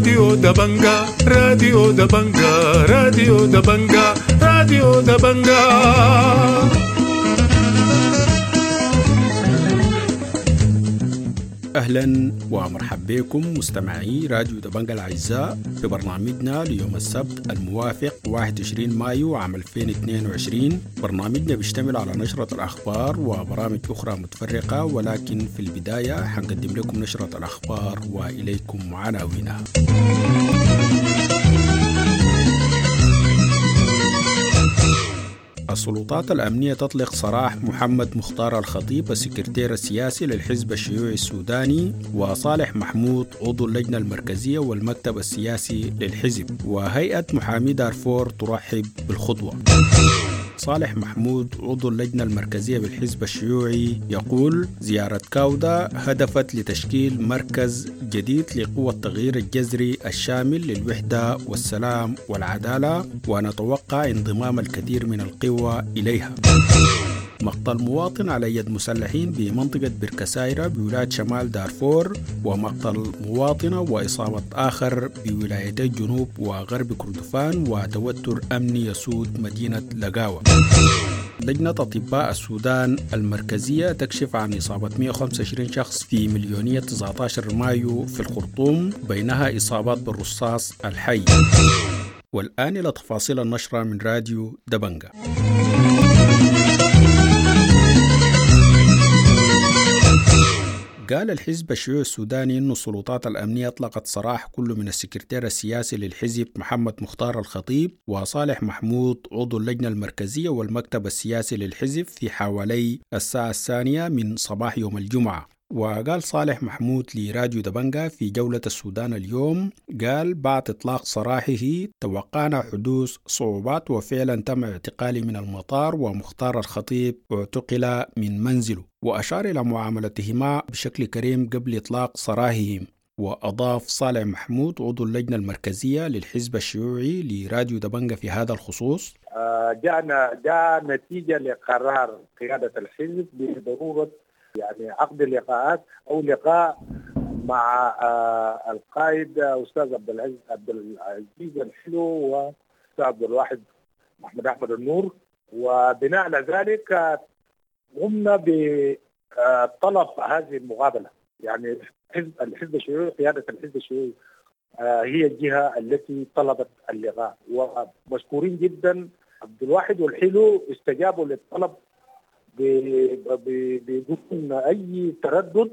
راديو دبنجا، راديو دبنجا، راديو دبنجا، راديو دبنجا. أهلا ومرحبا بكم مستمعي راديو دبنجا الأعزاء في برنامجنا ليوم السبت الموافق 21 مايو عام 2022. برنامجنا بيشتمل على نشرة الأخبار وبرامج أخرى متفرقة، ولكن في البداية حنقدم لكم نشرة الأخبار وإليكم عناوينها. السلطات الأمنية تطلق سراح محمد مختار الخطيب السكرتير السياسي للحزب الشيوعي السوداني، وصالح محمود عضو اللجنة المركزية والمكتب السياسي للحزب، وهيئة محامي دارفور ترحب بالخطوة. صالح محمود عضو اللجنة المركزية بالحزب الشيوعي يقول: زيارة كاودا هدفت لتشكيل مركز جديد لقوى التغيير الجذري الشامل للوحدة والسلام والعدالة، ونتوقع انضمام الكثير من القوى إليها. مقتل مواطن على يد مسلحين بمنطقة بركسايرة بولاية شمال دارفور، ومقتل مواطنة وإصابة آخر بولايتي الجنوب وغرب كردفان، وتوتر أمني يسود مدينة لقاوة. لجنة أطباء السودان المركزية تكشف عن إصابة 125 شخص في مليونية 19 مايو في الخرطوم، بينها إصابات بالرصاص الحي. والآن إلى تفاصيل النشرة من راديو دبنجا. قال الحزب الشيوعي السوداني أن السلطات الأمنية أطلقت سراح كل من السكرتير السياسي للحزب محمد مختار الخطيب وصالح محمود عضو اللجنة المركزية والمكتب السياسي للحزب في حوالي الساعة 2 من صباح يوم الجمعة. وقال صالح محمود لراديو دبنجا في جولة السودان اليوم، قال بعد إطلاق سراحه توقعنا حدوث صعوبات، وفعلا تم اعتقالي من المطار، ومختار الخطيب اعتقل من منزله، وأشار إلى معاملتهما بشكل كريم قبل إطلاق سراحهم. وأضاف صالح محمود عضو اللجنة المركزية للحزب الشيوعي لراديو دبنجا في هذا الخصوص: جاء نتيجة لقرار قيادة الحزب بضرورة يعني عقد لقاءات او لقاء مع القائد استاذ عبد العزيز الحلو واستاذ عبد الواحد محمد احمد النور، وبناء على ذلك قمنا بطلب هذه المقابله. يعني الحزب الشيوعي، قياده الحزب الشيوعي هي الجهه التي طلبت اللقاء، ومشكورين جدا عبد الواحد والحلو استجابوا للطلب بدون أي تردد،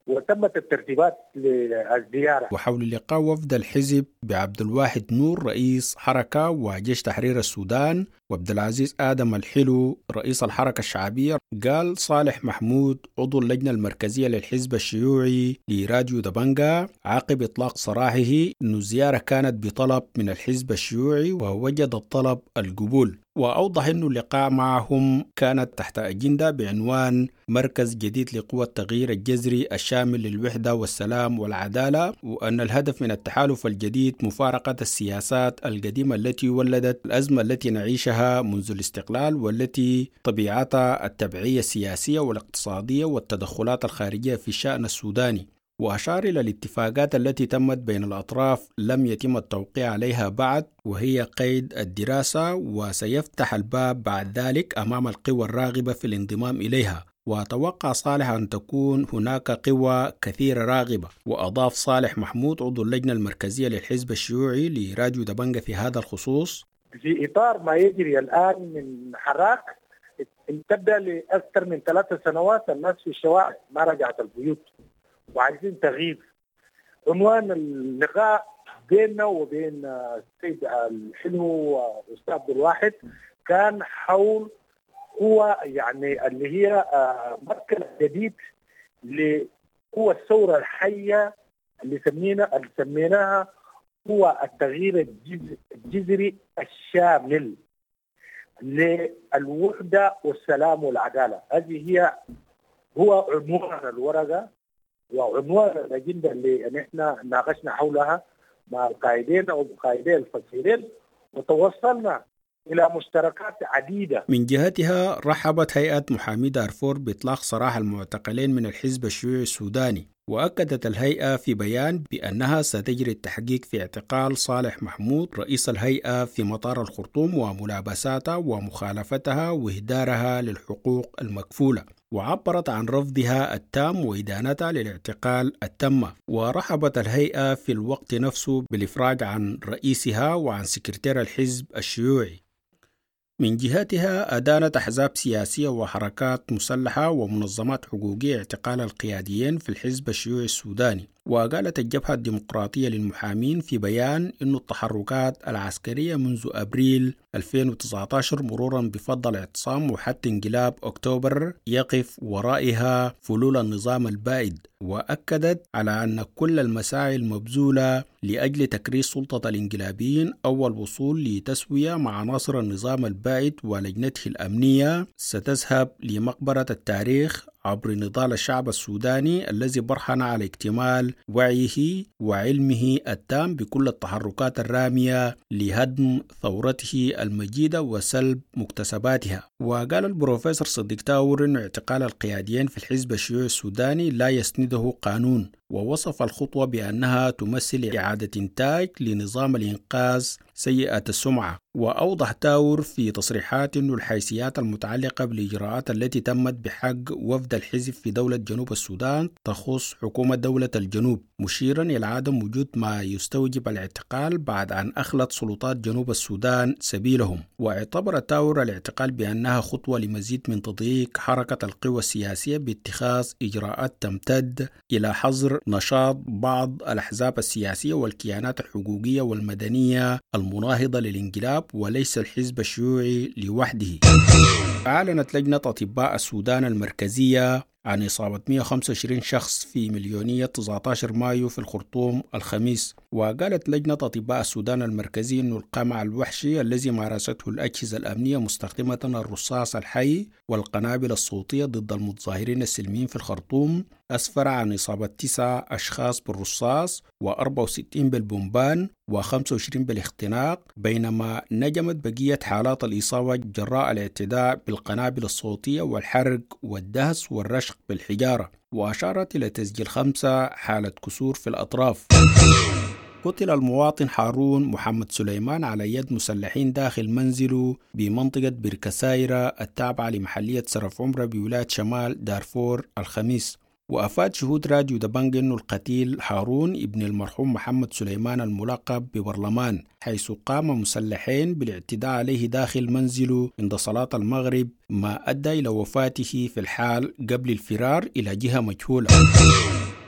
وتمت الترتيبات للزيارة. وحول لقاء وفد الحزب بعبد الواحد نور رئيس حركة وجيش تحرير السودان وعبد العزيز آدم الحلو رئيس الحركة الشعبية، قال صالح محمود عضو اللجنة المركزية للحزب الشيوعي لراديو دبنجا عقب إطلاق سراحه أن الزيارة كانت بطلب من الحزب الشيوعي ووجد الطلب القبول، وأوضح أن اللقاء معهم كانت تحت أجندة بعنوان مركز جديد لقوى التغيير الجذري الشامل للوحدة والسلام والعدالة، وأن الهدف من التحالف الجديد مفارقة السياسات القديمة التي ولدت الأزمة التي نعيشها منذ الاستقلال، والتي طبيعتها التبعية السياسية والاقتصادية والتدخلات الخارجية في الشأن السوداني. وأشار إلى الاتفاقات التي تمت بين الأطراف لم يتم التوقيع عليها بعد، وهي قيد الدراسة، وسيفتح الباب بعد ذلك أمام القوى الراغبة في الانضمام إليها. وتوقع صالح أن تكون هناك قوى كثيرة راغبة. وأضاف صالح محمود عضو اللجنة المركزية للحزب الشيوعي لراديو دبنجا في هذا الخصوص: في إطار ما يجري الآن من حراك تبدأ لأكثر من 3 سنوات، الناس في الشوارع ما رجعت البيوت وعايزين تغيير. عنوان اللقاء بيننا وبين السيد الحلو واستاذ عبد الواحد كان حول هو يعني اللي هي مركز جديد لقوى الثورة الحية اللي سميناها هو التغيير الجذري الشامل للوحدة والسلام والعدالة. هذه هي هو عنوان الورقة وعنوان الأجندة اللي نحن ناقشنا حولها مع القائدين أو قائدي الفصيلين، وتوصلنا إلى مشتركات عديدة. من جهتها رحبت هيئة محامي دارفور بإطلاق سراح المعتقلين من الحزب الشيوعي السوداني. وأكدت الهيئة في بيان بأنها ستجري التحقيق في اعتقال صالح محمود رئيس الهيئة في مطار الخرطوم وملابساتها ومخالفتها وإهدارها للحقوق المكفولة، وعبرت عن رفضها التام وإدانتها للاعتقال التم. ورحبت الهيئة في الوقت نفسه بالإفراج عن رئيسها وعن سكرتير الحزب الشيوعي. من جهتها أدانت أحزاب سياسية وحركات مسلحة ومنظمات حقوقية اعتقال القياديين في الحزب الشيوعي السوداني. وقالت الجبهة الديمقراطية للمحامين في بيان أن التحركات العسكرية منذ أبريل 2019 مرورا بفض الاعتصام وحتى انقلاب أكتوبر يقف ورائها فلول النظام البائد. وأكدت على أن كل المساعي المبذولة لأجل تكريس سلطة الانقلابيين أو الوصول لتسوية مع عناصر النظام البائد ولجنته الأمنية ستذهب لمقبرة التاريخ عبر نضال الشعب السوداني الذي برهن على اكتمال وعيه وعلمه التام بكل التحركات الرامية لهدم ثورته المجيدة وسلب مكتسباتها. وقال البروفيسور صديق تاور أن اعتقال القياديين في الحزب الشيوعي السوداني لا يسنده قانون، ووصف الخطوة بأنها تمثل إعادة إنتاج لنظام الإنقاذ سيئة السمعة. وأوضح تاور في تصريحات أن الحيثيات المتعلقة بالإجراءات التي تمت بحق وفد الحزب في دولة جنوب السودان تخص حكومة دولة الجنوب، مشيرا إلى عدم وجود ما يستوجب الاعتقال بعد أن أخلت سلطات جنوب السودان سبيلهم. واعتبر تاور الاعتقال بأنها خطوة لمزيد من تضييق حركة القوى السياسية باتخاذ إجراءات تمتد إلى حظر نشاط بعض الأحزاب السياسية والكيانات الحقوقية والمدنية المناهضة للانقلاب وليس الحزب الشيوعي لوحده. أعلنت لجنة أطباء السودان المركزية عن إصابة 125 شخص في مليونية 19 مايو في الخرطوم الخميس. وقالت لجنة أطباء السودان المركزي أن القمع الوحشي الذي مارسته الأجهزة الأمنية مستخدمة الرصاص الحي والقنابل الصوتية ضد المتظاهرين السلميين في الخرطوم أسفر عن إصابة 9 أشخاص بالرصاص و64 بالبومبان و25 بالاختناق، بينما نجمت بقية حالات الإصابة جراء الاعتداء بالقنابل الصوتية والحرق والدهس والرشق بالحجارة. وأشارت إلى تسجيل 5 حالة كسور في الأطراف. قتل المواطن هارون محمد سليمان على يد مسلحين داخل منزله بمنطقة بركسايرة التابعة لمحلية سرف عمرة بولاية شمال دارفور الخميس. وأفاد شهود راديو دبنج أنه القتيل هارون ابن المرحوم محمد سليمان الملقب ببرلمان، حيث قام مسلحين بالاعتداء عليه داخل منزله عند صلاة المغرب، ما أدى إلى وفاته في الحال قبل الفرار إلى جهة مجهولة.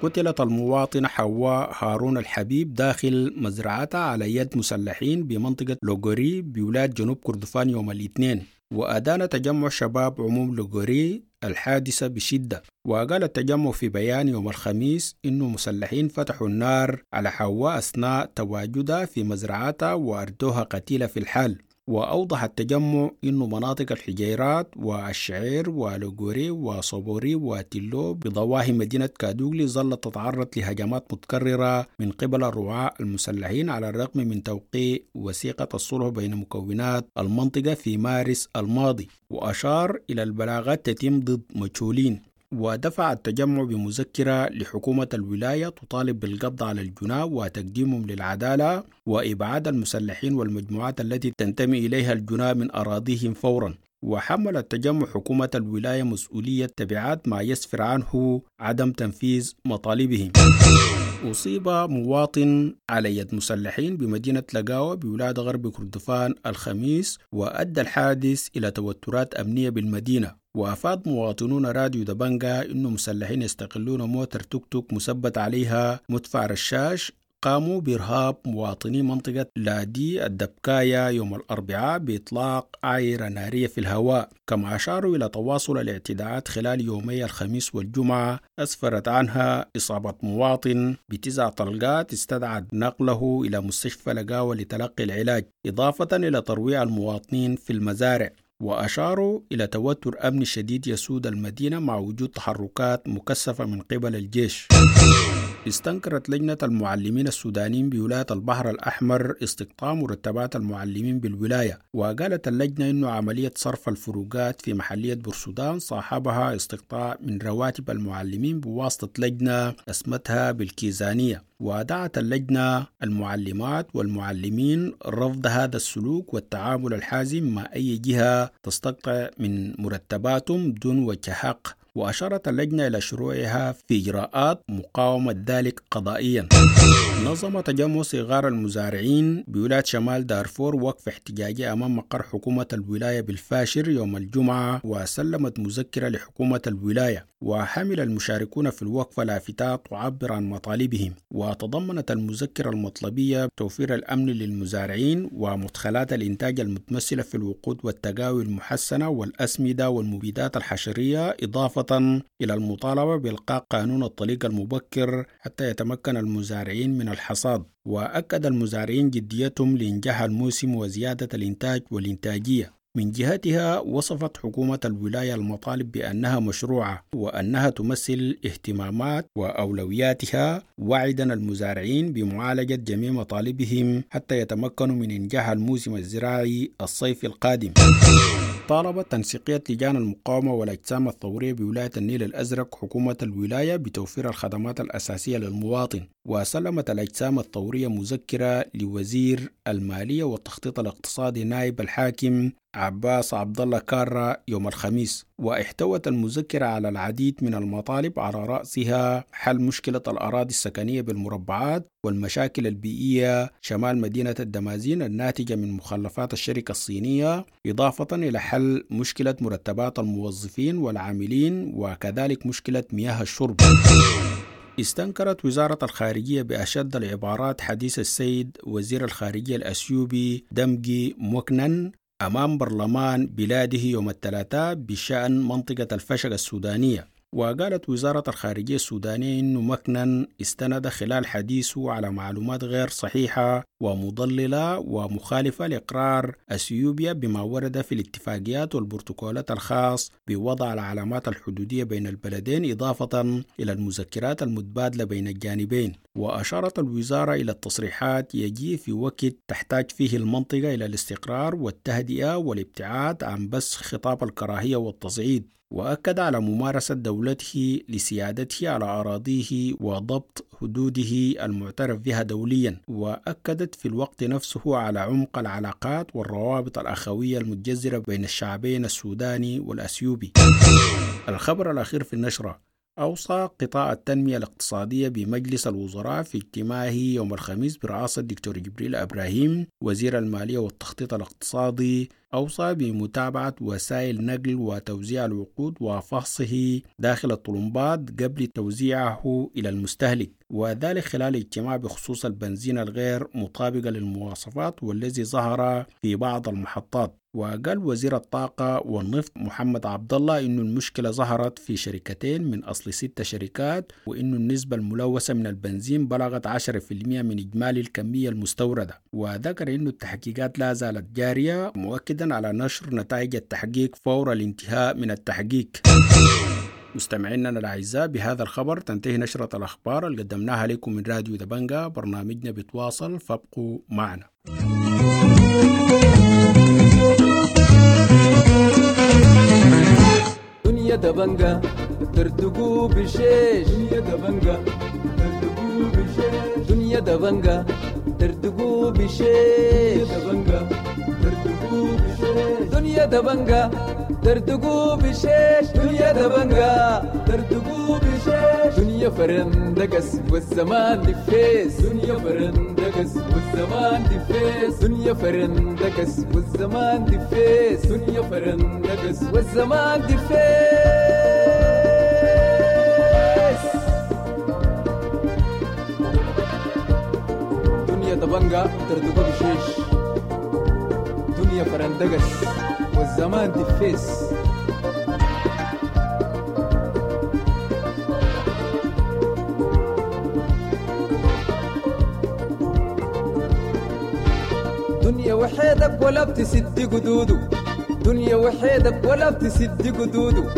قتلت المواطنة حواء هارون الحبيب داخل مزرعتها على يد مسلحين بمنطقة لوغوري بولاية جنوب كردفان يوم الاثنين. وأدان تجمع شباب عموم لوغوري الحادثة بشدة. وقال التجمع في بيان يوم الخميس إنه مسلحين فتحوا النار على حواء أثناء تواجدها في مزرعتها وأردوها قتيلة في الحال. وأوضح التجمع أن مناطق الحجيرات والشعير ولوغوري وصبوري وتلو بضواحي مدينة كادوغلي ظلت تتعرض لهجمات متكررة من قبل الرعاة المسلحين على الرغم من توقيع وثيقة الصلح بين مكونات المنطقة في مارس الماضي. وأشار إلى البلاغات تتم ضد مجهولين. ودفع التجمع بمذكرة لحكومة الولاية تطالب بالقبض على الجناة وتقديمهم للعدالة وإبعاد المسلحين والمجموعات التي تنتمي إليها الجناة من أراضيهم فورا. وحمل التجمع حكومة الولاية مسؤولية تبعات ما يسفر عنه عدم تنفيذ مطالبهم. أصيب مواطن على يد مسلحين بمدينة لقاوة بولاية غرب كردفان الخميس، وأدى الحادث إلى توترات أمنية بالمدينة. وأفاد مواطنون راديو دبنجا أنه مسلحين يستغلون موتر توك توك مثبت عليها مدفع رشاش قاموا بإرهاب مواطني منطقة لادي الدبكاية يوم الأربعاء بإطلاق عايرة نارية في الهواء، كما أشاروا إلى تواصل الاعتداءات خلال يومي الخميس والجمعة أسفرت عنها إصابة مواطن ب9 طلقات استدعت نقله إلى مستشفى لقاوة لتلقي العلاج، إضافة إلى ترويع المواطنين في المزارع. وأشاروا إلى توتر أمني شديد يسود المدينة مع وجود تحركات مكثفة من قبل الجيش. استنكرت لجنة المعلمين السودانيين بولاية البحر الأحمر استقطاع مرتبات المعلمين بالولاية. وقالت اللجنة إنه عملية صرف الفروقات في محلية بورسودان صاحبها استقطاع من رواتب المعلمين بواسطة لجنة اسمتها بالكيزانية. ودعت اللجنة المعلمات والمعلمين رفض هذا السلوك والتعامل الحازم مع أي جهة تستقطع من مرتباتهم دون وجه حق. وأشارت اللجنة إلى شروعها في إجراءات مقاومة ذلك قضائيا. نظم تجمع صغار المزارعين بولاية شمال دارفور وقف احتجاجي أمام مقر حكومة الولاية بالفاشر يوم الجمعة، وسلمت مذكرة لحكومة الولاية. وحمل المشاركون في الوقفة لافتات تعبر عن مطالبهم. وتضمنت المذكرة المطلبية توفير الأمن للمزارعين ومدخلات الإنتاج المتمثلة في الوقود والتقاوي المحسنة والأسمدة والمبيدات الحشرية، إضافة إلى المطالبة بإلقاء قانون الطليق المبكر حتى يتمكن المزارعين من الحصاد. وأكد المزارعين جديتهم لإنجاح الموسم وزيادة الإنتاج والإنتاجية. من جهتها وصفت حكومة الولاية المطالب بأنها مشروعة وأنها تمثل اهتمامات وأولوياتها، وعدا المزارعين بمعالجة جميع مطالبهم حتى يتمكنوا من إنجاح الموسم الزراعي الصيفي القادم. طالبت تنسيقية لجان المقاومة والأجسام الثورية بولاية النيل الأزرق حكومة الولاية بتوفير الخدمات الأساسية للمواطن. وسلمت الأجسام الثورية مذكرة لوزير المالية والتخطيط الاقتصادي نائب الحاكم عباس عبد الله كارا يوم الخميس. واحتوت المذكرة على العديد من المطالب، على رأسها حل مشكلة الأراضي السكنية بالمربعات والمشاكل البيئية شمال مدينة الدمازين الناتجة من مخلفات الشركة الصينية، إضافة إلى حل مشكلة مرتبات الموظفين والعاملين وكذلك مشكلة مياه الشرب. استنكرت وزارة الخارجية بأشد العبارات حديث السيد وزير الخارجية الأثيوبي دمجي موكنن أمام برلمان بلاده يوم الثلاثاء بشأن منطقة الفشق السودانية. وقالت وزارة الخارجية السودانية إنه مكنن استند خلال حديثه على معلومات غير صحيحة ومضللة ومخالفة لإقرار أثيوبيا بما ورد في الاتفاقيات والبروتوكولات الخاص بوضع العلامات الحدودية بين البلدين، إضافة إلى المذكرات المتبادلة بين الجانبين. وأشارت الوزارة إلى التصريحات يجي في وقت تحتاج فيه المنطقة إلى الاستقرار والتهدئة والابتعاد عن بث خطاب الكراهية والتصعيد. وأكد على ممارسة دولته لسيادته على أراضيه وضبط حدوده المعترف بها دوليا. وأكدت في الوقت نفسه على عمق العلاقات والروابط الأخوية المتجذرة بين الشعبين السوداني والأثيوبي. الخبر الأخير في النشرة: أوصى قطاع التنمية الاقتصادية بمجلس الوزراء في اجتماعه يوم الخميس برئاسة الدكتور جبريل إبراهيم وزير المالية والتخطيط الاقتصادي، أوصى بمتابعة وسائل نقل وتوزيع الوقود وفحصه داخل الطلمبات قبل توزيعه إلى المستهلك، وذلك خلال اجتماع بخصوص البنزين الغير مطابقة للمواصفات والذي ظهر في بعض المحطات. وقال وزير الطاقة والنفط محمد عبد الله إنه المشكلة ظهرت في شركتين من أصل 6 شركات، وإنه النسبة الملوثة من البنزين بلغت 10% من إجمالي الكمية المستوردة. وذكر إنه التحقيقات لا زالت جارية، مؤكدا على نشر نتائج التحقيق فور الانتهاء من التحقيق. مستمعينا الأعزاء، بهذا الخبر تنتهي نشرة الأخبار اللي قدمناها لكم من راديو دبنجا. برنامجنا بيتواصل، فابقوا معنا. دنيا دبنجا ترتقو بشيش، دنيا دبنجا ترتقو بشيش، دنيا دبنجا ترتقو بشيش، دبنجا ترتقو بشيش، دنيا دبنجا ترتقو بشيش، دنيا دبنجا ترتقو بشيش، دنيا فرندقس والزمان دفيس، دنيا فرندقس والزمان دفيس، دنيا فرندقس والزمان دفيس، دنيا فرندقس والزمان دفيس. دنيا دبنجا ترتقو بشيش، دنيا فرندقس والزمان دفيس. دنيا وحيدك ولا بتسد قدوده، دنيا وحيدك ولا بتسد قدوده،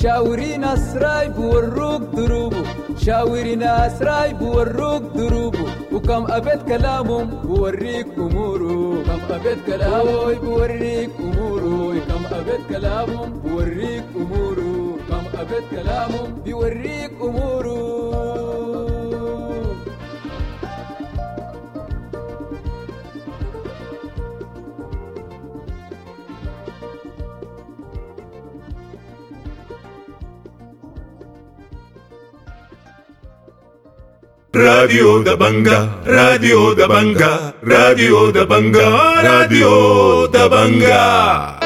شاوري ناس راي بوروك دروبه، شاوري ناس راي بوروك دروبه، وكم أبيت كلامهم بوريك أموره، كم أبيت كلامه بوريك أموره، كم أبيت كلامهم بوريك أموره، كم أبيت كلامهم بيوريك أموره. راديو دبنجا، راديو دبنجا، راديو دبنجا، راديو دبنجا.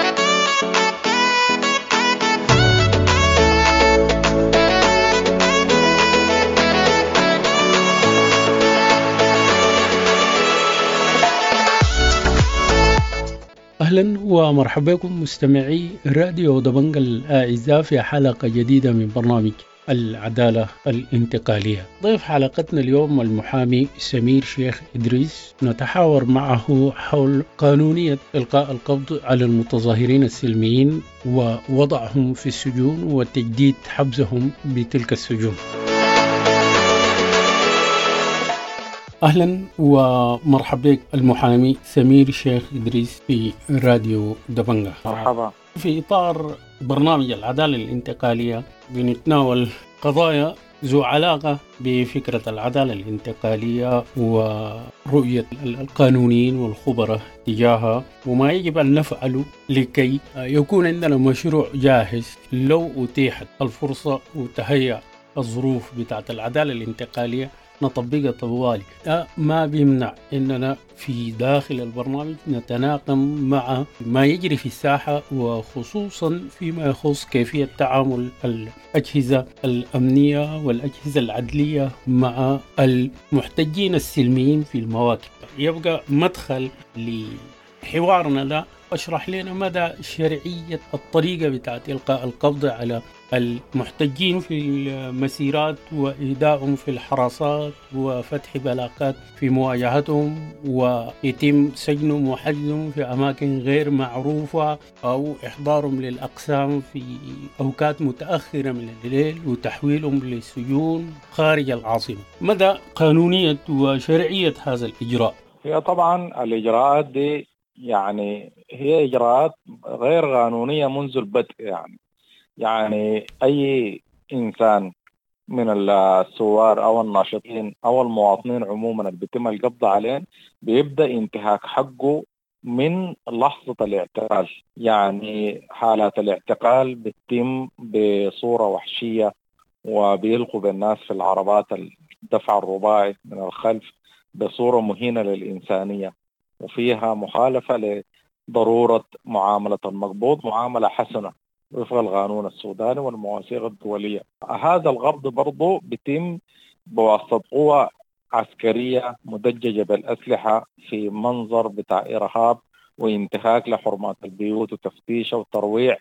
أهلا ومرحبا بكم مستمعي راديو دبنجا الأعزاء في حلقة جديدة من برنامج العدالة الانتقالية. ضيف حلقتنا اليوم المحامي سمير شيخ إدريس، نتحاور معه حول قانونية إلقاء القبض على المتظاهرين السلميين ووضعهم في السجون وتجديد حبسهم بتلك السجون. أهلا ومرحبا بك المحامي سمير شيخ إدريس في راديو دبنجا. مرحبا. في إطار برنامج العدالة الانتقالية بنتناول قضايا ذو علاقة بفكرة العدالة الانتقالية ورؤية القانونيين والخبراء تجاهها، وما يجب أن نفعله لكي يكون عندنا مشروع جاهز لو أتيحت الفرصة وتهيأ الظروف بتاعت العدالة الانتقالية نطبقها طوالي. ده ما بيمنع إننا في داخل البرنامج نتناقم مع ما يجري في الساحة، وخصوصا فيما يخص كيفية تعامل الأجهزة الأمنية والأجهزة العدلية مع المحتجين السلميين في المواكب. يبقى مدخل لحوارنا ده، أشرح لنا مدى شرعية الطريقة بتاعت إلقاء القبض على المحتجين في المسيرات وإيدائهم في الحراسات وفتح بلاغات في مواجهتهم، ويتم سجنهم وحجزهم في أماكن غير معروفة، أو إحضارهم للأقسام في أوقات متأخرة من الليل وتحويلهم للسجون خارج العاصمة. مدى قانونية وشرعية هذا الإجراء؟ هي طبعا الإجراءات دي يعني هي إجراءات غير قانونية منذ البدء. يعني أي إنسان من الثوار أو الناشطين أو المواطنين عموما اللي بيتم القبض عليهم بيبدأ انتهاك حقه من لحظة الاعتقال. يعني حالات الاعتقال بتتم بصورة وحشية، وبيلقوا بالناس في العربات الدفع الرباعي من الخلف بصورة مهينة للإنسانية، وفيها مخالفة لضرورة معاملة المقبوض معاملة حسنة وفق القانون السوداني والمواثيق الدولية. هذا القبض برضو بيتم بواسطة قوة عسكرية مدججة بالأسلحة في منظر بتاع إرهاب وانتهاك لحرمات البيوت وتفتيش وترويع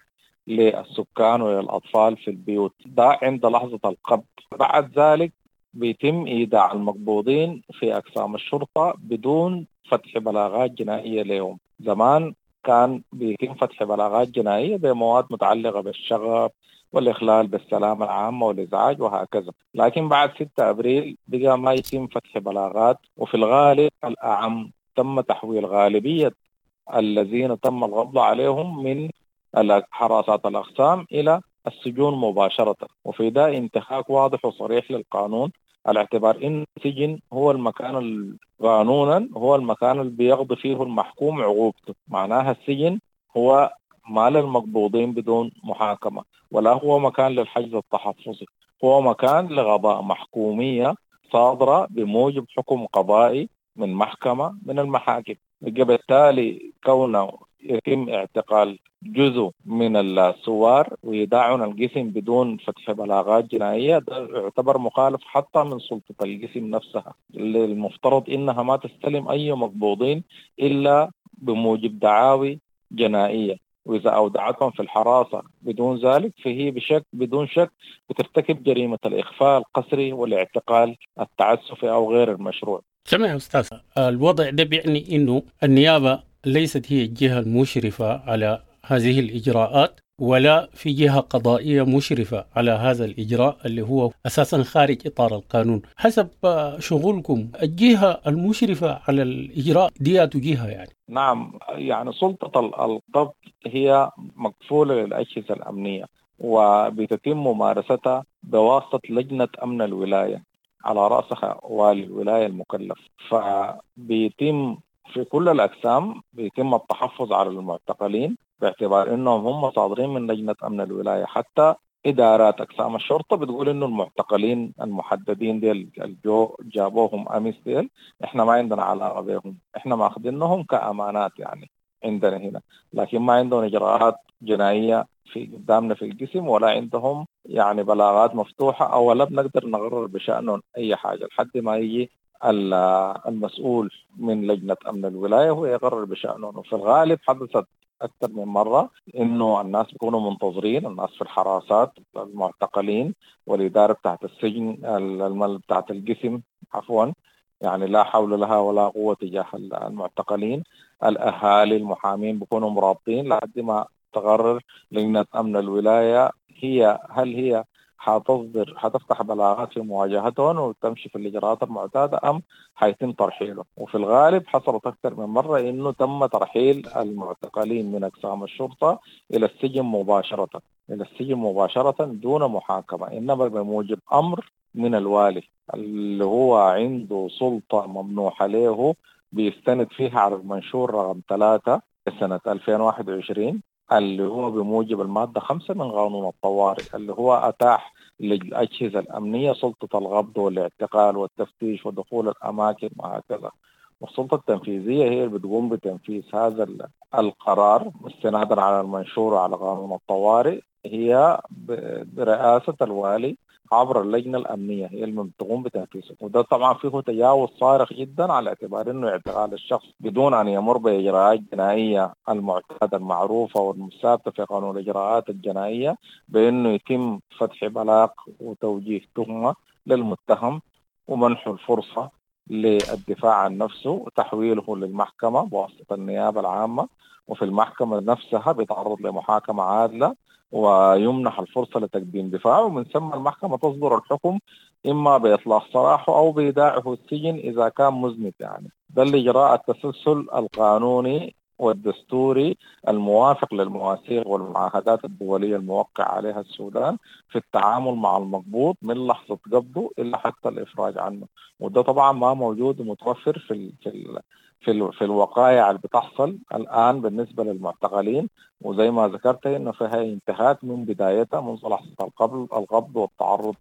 للسكان وللأطفال في البيوت. ده عند لحظة القبض. بعد ذلك بيتم إيداع المقبوضين في أقسام الشرطة بدون فتح بلاغات جنائية لهم. زمان كان بيتم فتح بلاغات جنائية بمواد متعلقة بالشغب والإخلال بالسلامة العامة والإزعاج وهكذا، لكن بعد 6 أبريل بقى ما يتم فتح بلاغات، وفي الغالب الأعم تم تحويل غالبية الذين تم القبض عليهم من حراسات الأقسام إلى السجون مباشرة. وفي ده انتهاك واضح وصريح للقانون، على اعتبار إن السجن هو المكان قانونا هو المكان اللي بيقضي فيه المحكوم عقوبته. معناها السجن هو ما للمقبوضين بدون محاكمة، ولا هو مكان للحجز التحفظي، هو مكان لغضاء محكومية صادرة بموجب حكم قضائي من محكمة من المحاكم. بالتالي كونه يتم اعتقال جزء من الثوار ويداعون القسم بدون فتح بلاغات جنائية، ده يعتبر مخالف حتى من سلطة القسم نفسها، اللي المفترض إنها ما تستلم أي مقبوضين إلا بموجب دعاوي جنائية، وإذا أودعتهم في الحراسة بدون ذلك فهي بدون شك بترتكب جريمة الإخفاء القسري والاعتقال التعسفي أو غير المشروع. سمع يا أستاذ، الوضع ده بيعني إنه النيابة ليست هي الجهة المشرفة على هذه الإجراءات، ولا في جهة قضائية مشرفة على هذا الإجراء اللي هو أساسا خارج إطار القانون. حسب شغلكم الجهة المشرفة على الإجراء دي جهة يعني؟ نعم، يعني سلطة القبض هي مكفولة للأجهزة الأمنية وبتتم ممارستها بواسطة لجنة أمن الولاية على رأسها والي الولاية المكلف. فبيتم في كل الأقسام بيتم التحفظ على المعتقلين باعتبار أنهم هم صادرين من لجنة أمن الولاية. حتى إدارات أقسام الشرطة بتقول إنه المعتقلين المحددين ديل الجو جابوهم أمس ديل إحنا ما عندنا علاقة بهم، إحنا ماخذينهم كأمانات يعني عندنا هنا، لكن ما عندهم إجراءات جنائية في قدامنا في القسم ولا عندهم يعني بلاغات مفتوحة أو لا بنقدر نقرر بشأنهم أي حاجة لحد ما يجي المسؤول من لجنة أمن الولاية هو يقرر بشأنهم. وفي الغالب حدثت أكثر من مرة إنه الناس بيكونوا منتظرين، الناس في الحراسات المعتقلين والإدارة بتاعت السجن بتاعت القسم عفوا يعني لا حول لها ولا قوة تجاه المعتقلين، الأهالي المحامين بيكونوا مرابطين لحد ما تقرر لجنة أمن الولاية هي هل هي حتصدر حتفتح بلاغات في مواجهتهم وتمشي في الإجراءات المعتادة أم حيتم ترحيلهم. وفي الغالب حصلت أكثر من مرة إنه تم ترحيل المعتقلين من أقسام الشرطة إلى السجن مباشرة، إلى السجن مباشرة دون محاكمة، إنما بموجب أمر من الوالي اللي هو عنده سلطة ممنوحة له بيستند فيها على المنشور رقم 3 سنة 2021 اللي هو بموجب المادة 5 من قانون الطوارئ اللي هو أتاح للأجهزة الأمنية سلطة القبض والاعتقال والتفتيش ودخول الأماكن وهكذا. والسلطة التنفيذية هي اللي بتقوم بتنفيذ هذا القرار استنادا على المنشور وعلى قانون الطوارئ، هي برئاسة الوالي عبر اللجنة الأمنية هي اللي بتقوم بتنفيذه. وده طبعا فيه تجاوز صارخ جدا على اعتبار أنه اعتقال الشخص بدون أن يمر بإجراءات جنائية المعتادة المعروفة والثابتة في قانون الإجراءات الجنائية بأنه يتم فتح بلاغ وتوجيه تهمة للمتهم ومنحه الفرصة للدفاع عن نفسه وتحويله للمحكمة بواسطة النيابة العامة، وفي المحكمة نفسها بيتعرض لمحاكمة عادلة ويمنح الفرصة لتقديم دفاعه، ومن ثم المحكمة تصدر الحكم إما بإطلاق سراحه أو بإيداعه السجن إذا كان مذنب. يعني ده الإجراء التسلسل القانوني والدستوري الموافق للمواثيق والمعاهدات الدولية الموقع عليها السودان في التعامل مع المقبوض من لحظة قبضه إلى حتى الإفراج عنه. وده طبعا ما موجود ومتوفر في الوقائع اللي بتحصل الآن بالنسبة للمعتقلين، وزي ما ذكرت إنه فيها انتهاك من بدايتها منذ لحظة القبض والتعرض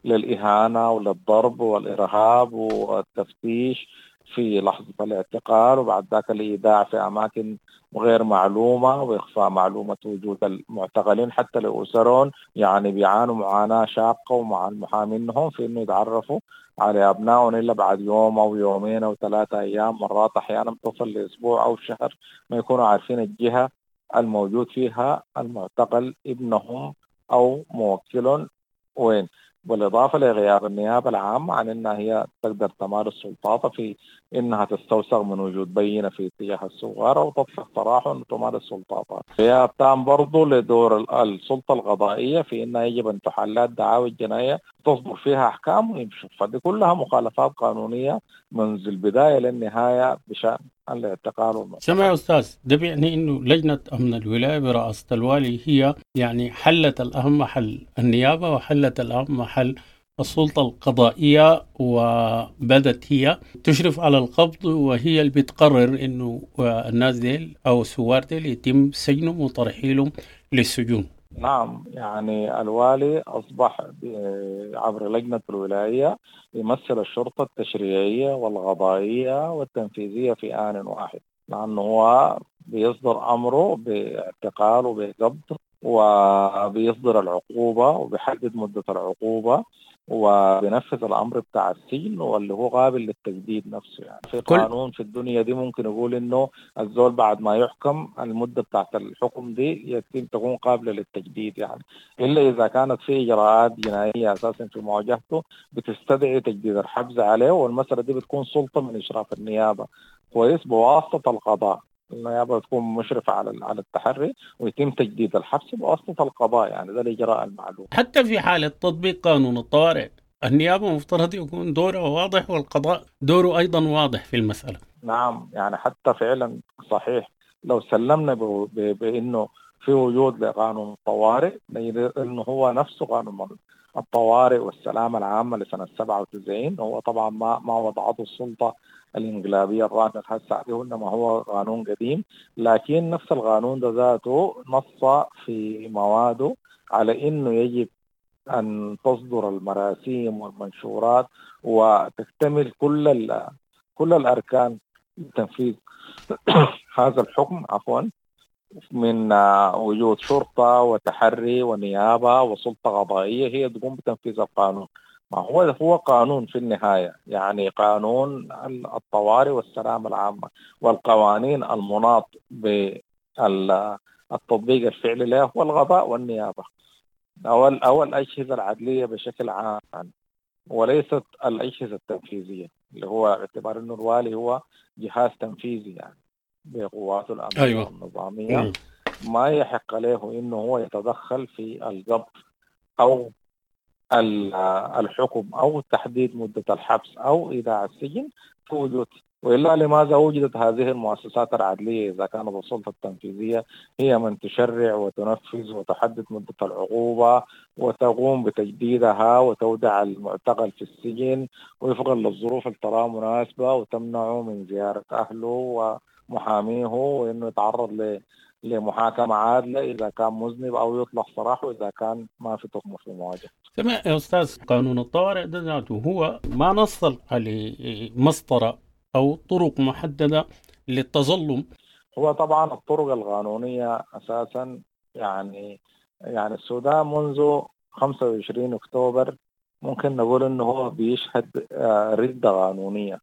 للإهانة وللضرب والإرهاب والتفتيش في لحظة الاعتقال، وبعد ذاك الإيداع في أماكن غير معلومة وإخفاء معلومة وجود المعتقلين حتى لأسرهم، يعني بيعانوا معاناة شاقة ومع المحامين في إنه يتعرفوا على أبنائهم إلا بعد يوم أو يومين أو 3 أيام، مرات أحيانا بتصل لأسبوع أو شهر ما يكونوا عارفين الجهة الموجود فيها المعتقل ابنهم أو موكلهم وين. بالإضافة لغياب النيابة العامة عن أنها هي تقدر تمارس سلطاتها في أنها تستوثق من وجود بينة في اتجاه الصغار أو تطلق سراحه أن تمارس سلطاتها. غياب تام برضو لدور السلطة القضائية في أنها يجب أن تحلات دعاوى الجنائية تصدر فيها أحكام ويمشوا. فدي كلها مخالفات قانونية منذ البداية للنهاية بشأن الاعتقال والمعتقل. سمع يا أستاذ، ده بيعني أنه لجنة أمن الولاية برئاسة الوالي هي يعني حلت الأهم محل النيابة وحلت الأهم محل السلطة القضائية، وبدت هي تشرف على القبض وهي اللي بتقرر أنه الناس ديل أو الثوار ديل يتم سجنهم وترحيلهم للسجون. نعم، يعني الوالي أصبح عبر لجنة الولاية يمثل الشرطة التشريعية والقضائية والتنفيذية في آن واحد، لأنه هو بيصدر أمره باعتقال وبقبض وبيصدر العقوبة وبيحدد مدة العقوبة وبينفذ الأمر بتاع السجن واللي هو قابل للتجديد نفسه. يعني في قانون في الدنيا دي ممكن يقول إنه الزول بعد ما يحكم المدة بتاعت الحكم دي يتم تكون قابلة للتجديد، يعني إلا إذا كانت في إجراءات جنائية أساسا في مواجهته بتستدعي تجديد الحبس عليه، والمسألة دي بتكون سلطة من إشراف النيابة كويس بواسطة القضاء. النيابة تكون مشرفة على التحري، ويتم تجديد الحبس بواسطة القضاء. يعني ده الإجراء المعلوم. حتى في حالة تطبيق قانون الطوارئ النيابة مفترض يكون دوره واضح والقضاء دوره أيضا واضح في المسألة. نعم، يعني حتى فعلا صحيح لو سلمنا بأنه في وجود لقانون الطوارئ، لأنه هو نفسه قانون الطوارئ والسلامة العامة لسنة 97 هو طبعا ما وضعته السلطة الانقلابية الراهنة هسه عليه، إنما هو قانون قديم، لكن نفس القانون ده ذاته نص في مواده على إنه يجب أن تصدر المراسيم والمنشورات وتكتمل كل الأركان لتنفيذ هذا الحكم، عفوا، من وجود شرطة وتحري ونيابة وسلطة قضائية هي تقوم بتنفيذ القانون. ما هو قانون في النهاية، يعني قانون الطوارئ والسلامة العامة والقوانين المناط بالتطبيق الفعلي له هو القضاء والنيابة أو الأجهزة العدلية بشكل عام، وليست الأجهزة التنفيذية، اللي هو اعتبار أنه الوالي هو جهاز تنفيذي يعني بقواته الأمنية. أيوة. النظامية. ما يحق له إنه هو يتدخل في القبض أو الحكم أو تحديد مدة الحبس أو إيداع السجن في وجود، وإلا لماذا وجدت هذه المؤسسات العدلية إذا كانت السلطة التنفيذية هي من تشرع وتنفذ وتحدد مدة العقوبة وتقوم بتجديدها وتودع المعتقل في السجن وفقا للظروف اللي تراها مناسبة وتمنعه من زيارة أهله ومحاميه وإنه يتعرض لمحاكمة عادلة إذا كان مذنب أو يطلق سراحه إذا كان ما في تهمة في المواجهة. تمام يا أستاذ، قانون الطوارئ ده ذاته هو ما نص على مسطرة أو طرق محددة للتظلم. هو طبعا الطرق القانونية أساسا يعني السودان منذ 25 أكتوبر ممكن نقول إنه هو بيشهد ردة قانونية،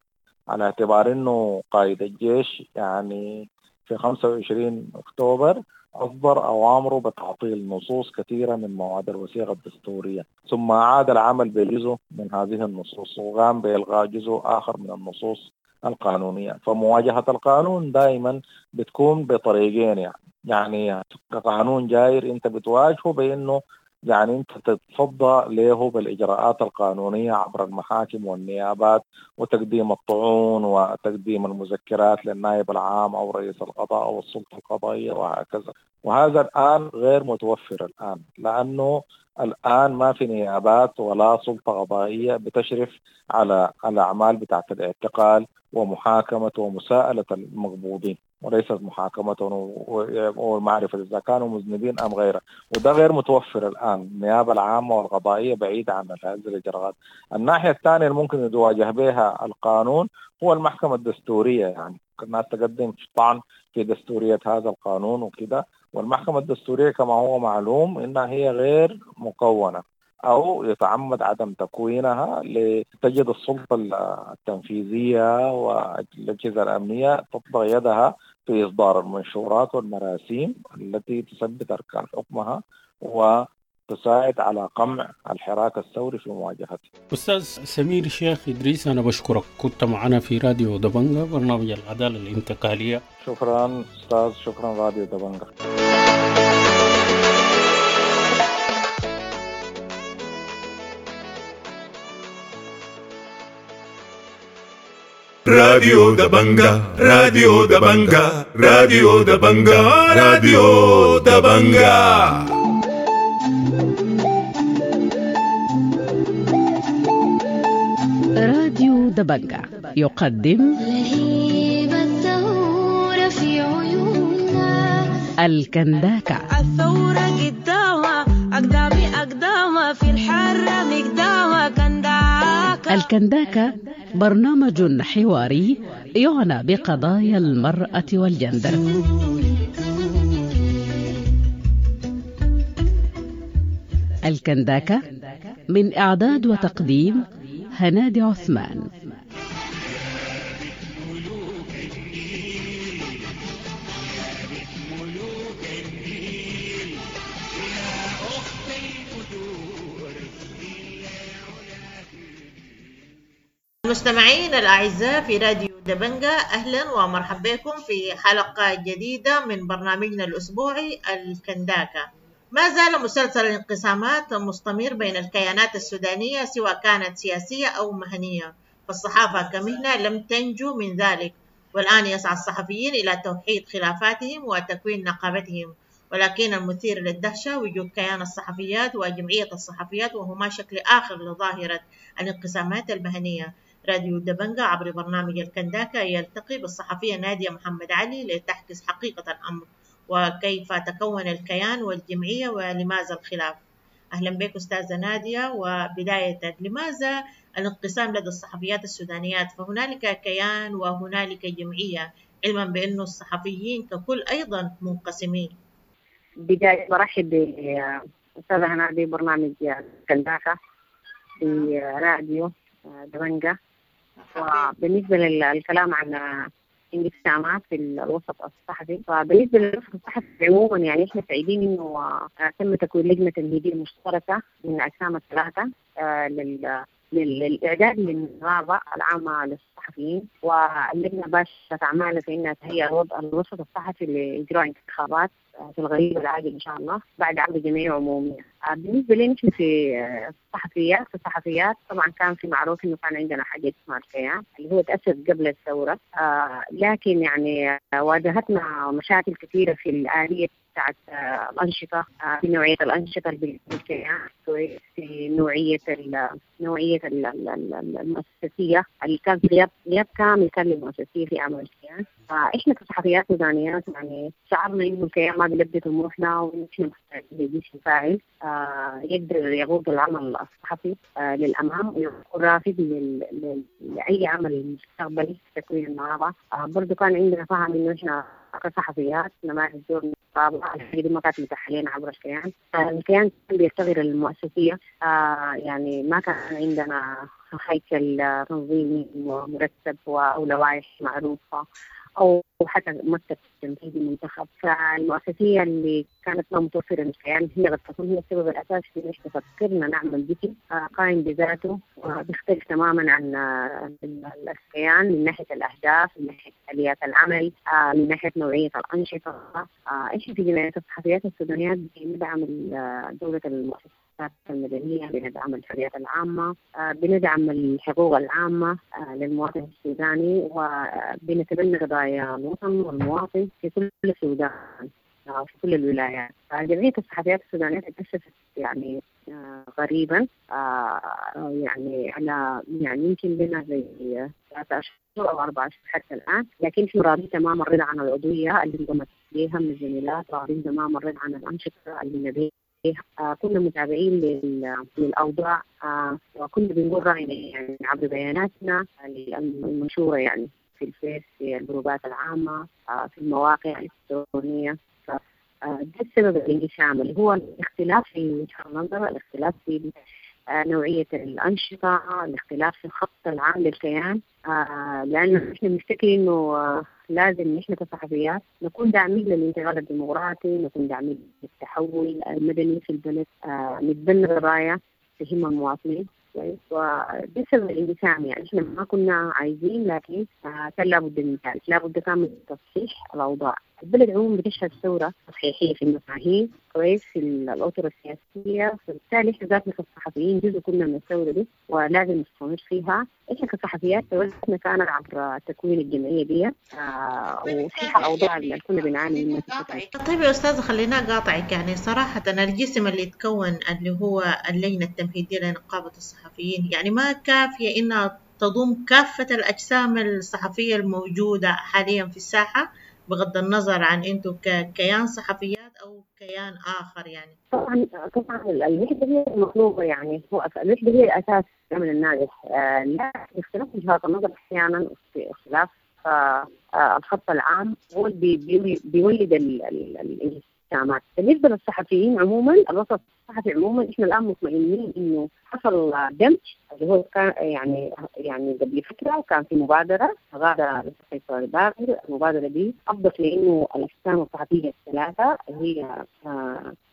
على اعتبار إنه قائد الجيش يعني في 25 أكتوبر أصدر أوامره بتعطيل نصوص كثيرة من مواد الوثيقة الدستورية، ثم عاد العمل بجزء من هذه النصوص وقام بإلغاء جزء آخر من النصوص القانونية. فمواجهة القانون دائما بتكون بطريقين، يعني قانون جاير أنت بتواجهه بأنه يعني أنت تتصدى له بالإجراءات القانونية عبر المحاكم والنيابات وتقديم الطعون وتقديم المذكرات للنائب العام أو رئيس القضاء أو السلطة القضائية وهكذا. وهذا الآن غير متوفر الآن، لأنه الآن ما في نيابات ولا سلطة قضائية بتشرف على الأعمال بتاعت الاعتقال ومحاكمة ومساءلة المقبوضين، وليست محاكمتهم ومعرفة إذا كانوا مذنبين أم غيره، وده غير متوفر الآن. النيابة العامة والقضائية بعيدة عن هذه الإجراءات. الناحية الثانية اللي ممكن يتواجه بها القانون هو المحكمة الدستورية، يعني الناس تقدم طعن في دستورية هذا القانون وكده، والمحكمة الدستورية كما هو معلوم إنها هي غير مكونة أو يتعمد عدم تكوينها لتجد السلطة التنفيذية والأجهزة الأمنية تطبق يدها في إصدار المنشورات والمراسيم التي تثبت أركان حكمها وتساعد على قمع الحراك الثوري في مواجهته. أستاذ سمير شيخ إدريس، أنا بشكرك، كنت معنا في راديو دبنجة برنامج العدالة الانتقالية. شكرا أستاذ، شكرا راديو دبنجة. راديو دبنجة، راديو دبنجة، راديو دبنجة، راديو دبنجة. راديو دبنجة يقدم لهيب الثورة في عيوننا الكنداكة. الثورة قدامها أقدامي أقدامها في الحرة مقدامها كنداكة. الكنداكة برنامج حواري يعنى بقضايا المرأة والجندر. الكنداكة من إعداد وتقديم هنادي عثمان. المستمعين الأعزاء في راديو دبنجة، أهلا ومرحبا بكم في حلقة جديدة من برنامجنا الأسبوعي الكنداكة. ما زال مسلسل الانقسامات مستمر بين الكيانات السودانية سواء كانت سياسية أو مهنية، فالصحافة كمهنة لم تنجو من ذلك، والآن يسعى الصحفيين إلى توحيد خلافاتهم وتكوين نقابتهم، ولكن المثير للدهشة وجود كيان الصحفيات وجمعية الصحفيات، وهما شكل آخر لظاهرة الانقسامات المهنية. راديو دبنجة عبر برنامج الكنداكة يلتقي بالصحفية نادية محمد علي لتعكس حقيقة الأمر وكيف تكون الكيان والجمعية ولماذا الخلاف. أهلا بك أستاذة نادية، وبداية لماذا الانقسام لدى الصحفيات السودانيات؟ فهنالك كيان وهنالك جمعية، علما بأنه الصحفيين ككل أيضا منقسمين. بداية برحب بأستاذة هنادي برنامج كنداكة في راديو دبنجة. وبالنسبة للكلام عن انقسامات في الوسط الصحفي، فبالنسبة للوسط الصحفي عموما يعني احنا سعيدين انه تم تكوين لجنة تمهيدية مشتركة من الأجسام الثلاثة للإعداد للنقابة العامة للصحفيين، واللجنة باشرت أعمالها في إنها تهيئ الوسط الصحفي لإجراء انتخابات في القريب العاجل إن شاء الله بعد عرض جمعية عمومية. بالنسبة لنا نحن في الصحفيات طبعا كان في معروف إنه كان عندنا حاجة اسمها الكيان اللي هو تأسس قبل الثورة، لكن يعني واجهتنا مشاكل كثيرة في الآلية بتاعت الأنشطة، في نوعية الأنشطة اللي بالكيان، في نوعية المؤسسية اللي كان غياب كامل كان للمؤسسية في عمل الكيان. فإحنا كصحفيات سودانيات يعني شعرنا إنه الكيان ما بيلبي طموحنا، وإحنا محتاجين لجيش فاعل يقدر يقود العمل الصحفي للأمام ويكون رافد لأي عمل مستقبلي في تكوين النقابة. برضو كان عندنا فهم إنه إحنا كصحفيات نمارس دور النقابة، الحاجة دي ما كانت متاحة لنا عبر الكيان. الكيان كان بيفتقر المؤسسية، يعني ما كان عندنا هيكل تنظيمي مرتب أو لوائح معروفة أو حتى مكتب تنفيذي منتخب. فالمؤسسية اللي كانت ما متوفرة للكيان هي قد تكون هي السبب الأساسي في إنه فكرنا نعمل جسم قائم بذاته وبيختلف تماما عن الكيان من ناحية الأهداف، من ناحية آليات العمل، من ناحية نوعية الأنشطة. إحنا في جمعية الصحفيات السودانيات بندعم دولة المؤسسات المدنية، بندعم الحريات العامة، بندعم الحقوق العامة للمواطن السوداني، وبنتبنى قضايا الوطن والمواطن في كل السودان في كل الولايات. جمعية الصحفيات السودانية تأسست يعني غريبا، يعني على يعني يمكن لنا زي 3 أشهر أو 4 أشهر حتى الآن، لكن احنا راضين تماما الرضا عن العضوية اللي انضمت إليها من الزميلات، راضين تماما الرضا عن الأنشطة اللي نبيها. كنا متابعين للأوضاع، وكنا بنقول رأينا يعني عبر بياناتنا المنشورة يعني في الفيس، في الجروبات العامة، في المواقع الإلكترونية. ده السبب الانقسام اللي هو الاختلاف في وجهة النظر، الاختلاف في نوعية الأنشطة، الاختلاف في الخط العام للكيان، لأنه إحنا بنفتكر إنه لازم نحن كصحفيات نكون داعمين للانتقال الديمقراطي، نكون داعمين للتحول المدني في البلد، نتبنى قضايا تهم المواطنين. وده سبب الانقسام، يعني احنا ما كنا عايزين، لكن كان لابد من ذلك، لابد كان من تصحيح الاوضاع. البلد عموما بتشهد ثورة تصحيحية في المفاهيم، كويس، في الاطر السياسية، فبالتالي احنا ذاتنا كصحفيين جزء كنا من الثورة دي ولازم نستمر فيها. احنا كصحفيات ثورتنا كانت عبر تكوين الجمعية دي وتصحيح الاوضاع اللي كنا بنعاني منها. طيب يا استاذه خلينا اقاطعك، يعني صراحة الجسم اللي يتكون اللي هو اللجنة التمهيدية لنقابه الصحفيين يعني ما كافيه انها تضم كافة الاجسام الصحفية الموجودة حاليا في الساحة، بغض النظر عن انتم ككيان صحفيات او كيان اخر. يعني طبعا الوحدة هي المطلوبة، يعني هو الوحدة هي الاساس العمل الناجح. لا اختلاف وجهات النظر احيانا، اختلاف الخط العام هو اللي بيولد الانقسامات. بالنسبة للصحفيين عموما، الوسط الصحفي عموما، احنا الان مطمئنين انه حصل دمج اللي هو كان يعني قبل فترة كان في مبادرة غادة الصحفي الباقر. المبادرة دي افضت لانه الاجسام الصحفية الثلاثة هي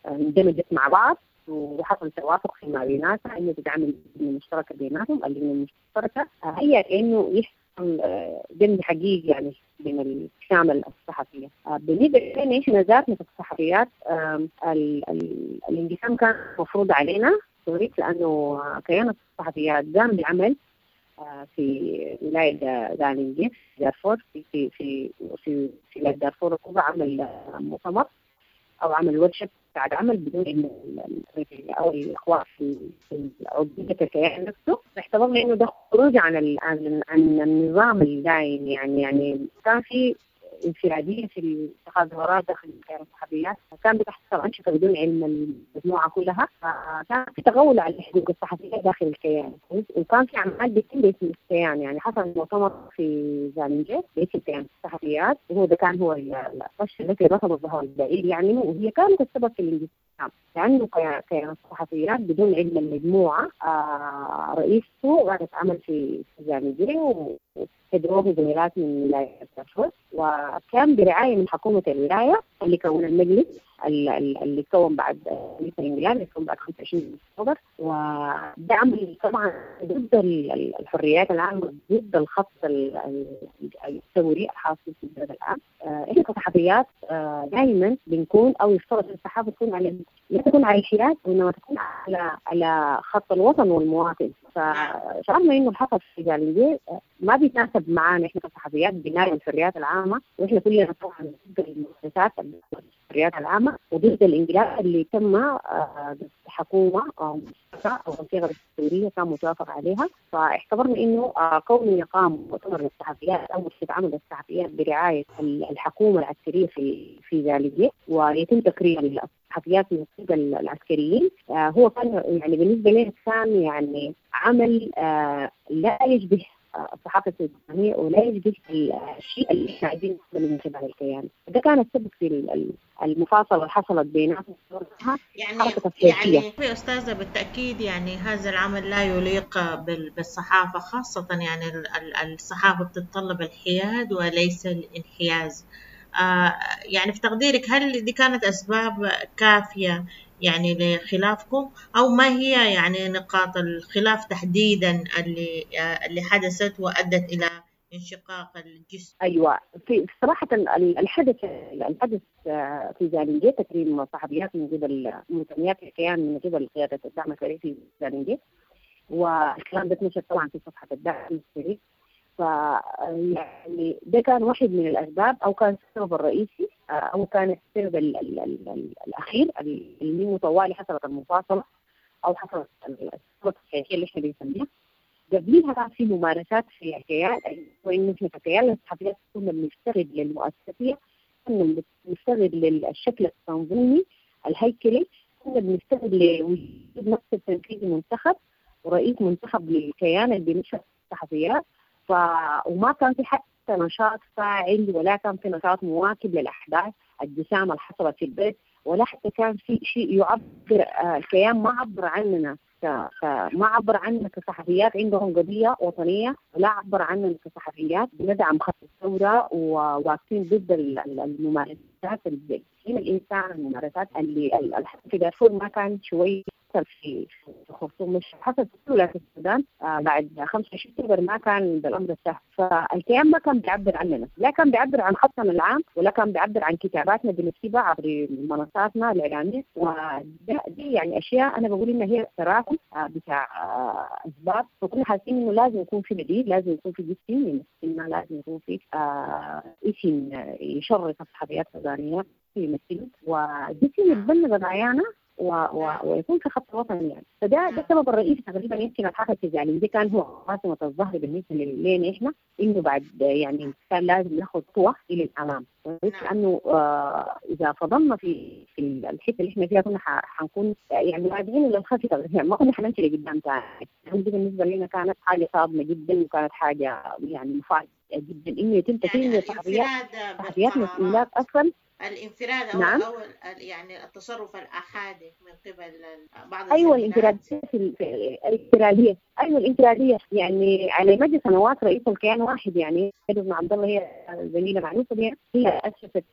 اندمجت مع بعض وحصل توافق فيما بيناتها انه تتعمل لجنة مشتركة بيناتهم. اللجنة المشتركة هي انه حصل دمج حقيقي يعني بين الأجسام الصحفية. بالنسبة لنا إحنا ذاتنا في الصحفيات، الانقسام كان مفروض علينا لأنه كيان الصحفيات قام بعمل في ولاية زالنجي دارفور، في في في في ولاية دارفور الكبرى، عمل مؤتمر أو عمل ورشة بعد عمل بدون إنه أو الإخوان في عضوية الكيان نفسه. اعتبرنا إنه ده خروج عن عن النظام الدائم، يعني كان في انفرادية في اتخاذ قرارات داخل كيان الصحفيات، كان بتحصل أنشطة بدون علم المجموعة كلها، كان في تغول على الحقوق الصحفية داخل الكيان، وكان في أعمال بتتم باسم الكيان. يعني حصل مؤتمر في زالنجي باسم كيان الصحفيات، وهو ده كان هو القش التي رفض ظهور البعير يعني، وهي كانت السبب في الانقسام، لأنه كيان الصحفيات بدون علم المجموعة رئيسته قعدت عمل في زالنجي وحضروه زميلات من ولاية دارفور، وكان برعاية من حكومة الولاية اللي كون المجلس اللي كون بعد الانقلاب اللي كون بعد 25 أكتوبر. وده عمل طبعا ضد الحريات العامة، ضد الخط الثوري الحاصل في البلد الآن. إحنا كصحفيات دائما بنكون أو يفترض الصحافة تكون على لا تكون على الحياد، وإنما تكون على خط الوطن والمواطن. فشعرنا إنه الحصل في زالنجي ما بيتناسب معانا إحنا كصحفيات بناء الحريات العامة، وإحنا كلنا طبعا ضد المؤسسات الحريات العامة وضد الانقلاب اللي تم حكومة أو أو الصيغة الدستورية كان متوافق عليها. فاعتبرنا إنه كونه يقام مؤتمر للصحفيات أو ورشة عمل للصحفيات برعاية الحكومة العسكرية في زالنجي ويتم تكريم الصحفيات من قبل العسكريين، هو كان يعني بالنسبة لنا كان يعني عمل لا يشبه الصحافة السودانية ولا يشبه الشيء اللي احنا عايزين نعمله من خلال الكيان. ده كان السبب في المفاصلة اللي حصلت بيناتنا. يعني يا أستاذة بالتأكيد يعني هذا العمل لا يليق بالصحافة، خاصة يعني الصحافة بتتطلب الحياد وليس الانحياز. يعني في تقديرك هل دي كانت أسباب كافية يعني لخلافكم، أو ما هي يعني نقاط الخلاف تحديدا اللي حدثت وأدت إلى انشقاق الجسم؟ أيوة، في صراحة الحدث في زالنجي تكريم صحفيات من قبل منتميات الكيان من قبل قيادة الدعم السريع في زالنجي، والكلام ده اتنشر طبعا في صفحة الدعم السريع. فيعني ده كان واحد من الأسباب، أو كان السبب الرئيسي، أو كان السبب ال ال ال الأخير اللي طوالي حصلت المفاصلة أو حصلت الصورة التصحيحية اللي احنا بنسميها. قبليها كان في ممارسات في الكيان، وإنه احنا ككيان الصحفيات كنا بنفتقد للمؤسسية، كنا بنفتقد للشكل التنظيمي الهيكلي، كنا بنفتقد لوجود مكتب تنفيذي منتخب ورئيس منتخب للكيان اللي بينشر الصحفيات. وما كان في حتى نشاط فاعل، ولا كان في نشاط مواكب للأحداث الجسامة اللي حصلت في البيت، ولا حتى كان في شيء يعبر. الكيان ما عبر عننا ما عبر عننا كصحفيات عندهم قضية وطنية، ولا عبر عننا كصحفيات بندعم خط الثورة وواقفين ضد الممارسات اللي الإنسان، الممارسات اللي في دارفور ما كان شوي في الخرطوم، مش حصل في ولاية السودان بعد 25 اكتوبر ما كان بالامر السهل. فالكيان ما كان بيعبر عننا، لا كان بيعبر عن خطنا العام، ولا كان بيعبر عن كتاباتنا بنكتبها عبر منصاتنا الاعلاميه. ودي يعني اشياء انا بقول انها هي تراكم بتاع اسباب. فكنا حاسين انه لازم يكون في بديل، لازم يكون في جسم يمثلنا، لازم يكون في اسم يشرف الصحفيات السودانيه يمثلنا، وجسم يتبنى قضايانا ويكون في خط وطني يعني. فده ده السبب الرئيسي تقريبا. يمكن الحركه في دي كان هو قاسمه الظهر بالنسبه لنا احنا، انه بعد يعني كان لازم ناخذ خطوه الى الامام، لانه اذا فضلنا في الحته اللي احنا فيها كنا حنكون يعني راجعين للخلف، يعني ما كنا حنمشي لقدام ثاني. دي بالنسبه لنا كانت حاجه صادمه جدا، وكانت حاجه يعني مفاجاه جدا انه يتم تكريم الصحفيات مسؤولات اصلا. الانفراد أو, نعم. أو يعني التصرف الأحادي من قبل بعض. أيوة، الانفرادية الانفرادية ايوه الانفراديه، يعني على مدى سنوات رئيس الكيان واحد، يعني بن عبد الله هي زميله معروفة بها، هي اسست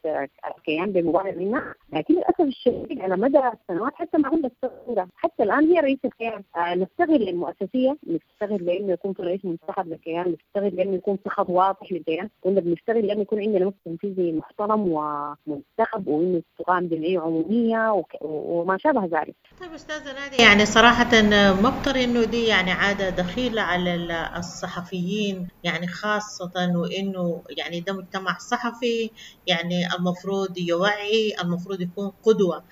الكيان بمبادرة منها، لكن للاسف الشديد على مدى السنوات حتى مع الثورة حتى الان هي رئيس الكيان. نفتقر للمؤسسيه، نفتقر لانه يكون في رئيس منتخب للكيان، نفتقر لانه يكون في خط واضح للكيان، كنا بنفتقر لانه يكون عندنا مكتب تنفيذي محترم ومنتخب، وانه تقام جمعية عموميه وما شابه ذلك. طيب استاذه ناديه، يعني صراحة ما بترى انه دي يعني عادة دخيله على الصحفيين، يعني خاصة وانه يعني ده مجتمع صحفي، يعني المفروض يوعي، المفروض يكون قدوة.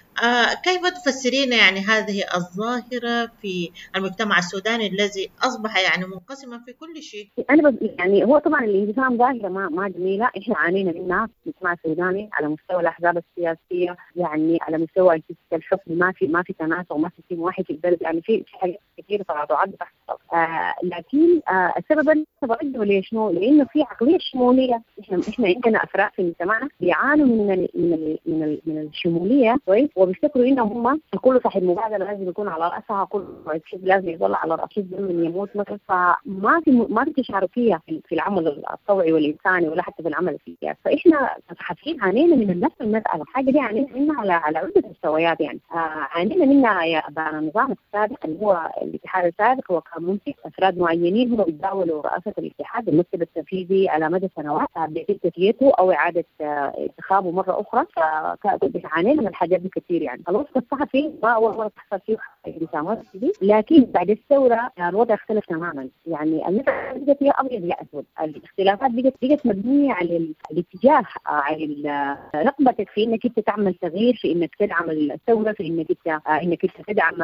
كيف تفسرين يعني هذه الظاهرة في المجتمع السوداني الذي أصبح يعني منقسما في كل شيء؟ أنا يعني هو طبعا الانقسام ظاهرة ما جميلة، إحنا عانينا منها في المجتمع السوداني على مستوى الأحزاب السياسية، يعني على مستوى أجهزة الحكم، ما في تناسق، ما في سيستم واحد في البلد، يعني في حاجات كثيرة تقاطعات بتحصل. لكن السبب أنا برجعه ليش؟ لأنه في عقلية شمولية. إحنا عندنا أفراد في مجتمعنا بيعانوا من من من من الشمولية، كويس، وبيفتكروا انهم هم كل صاحب مبادرة لازم يكون على راسها، كل حزب لازم يظل على راس حزب من يموت مثلا. فما في ما في تشاركيه في العمل الطوعي والانساني ولا حتى في العمل السياسي. فاحنا كصحفيين عانينا من نفس المسالة، الحاجة دي عانينا منها على عده مستويات. يعني عانينا منها يا النظام السابق اللي هو الاتحاد السابق، هو كان ممسك افراد معينين هم بيتداولوا رئاسة الاتحاد المكتب التنفيذي على مدى سنوات بيتم تسويته او اعاده انتخابه مرة اخرى. فعانينا من الحاجات دي كثير. يعني الوسط الصحفي ما اول مرة تحصل فيه انقسامات دي، لكن بعد الثورة الوضع اختلف تماما. يعني المسالة بقت يا ابيض يا اسود، الاختلافات بقت مبنية على الاتجاه، على رغبتك في انك انت تعمل تغيير، في انك تدعم الثورة، في انك انت تدعم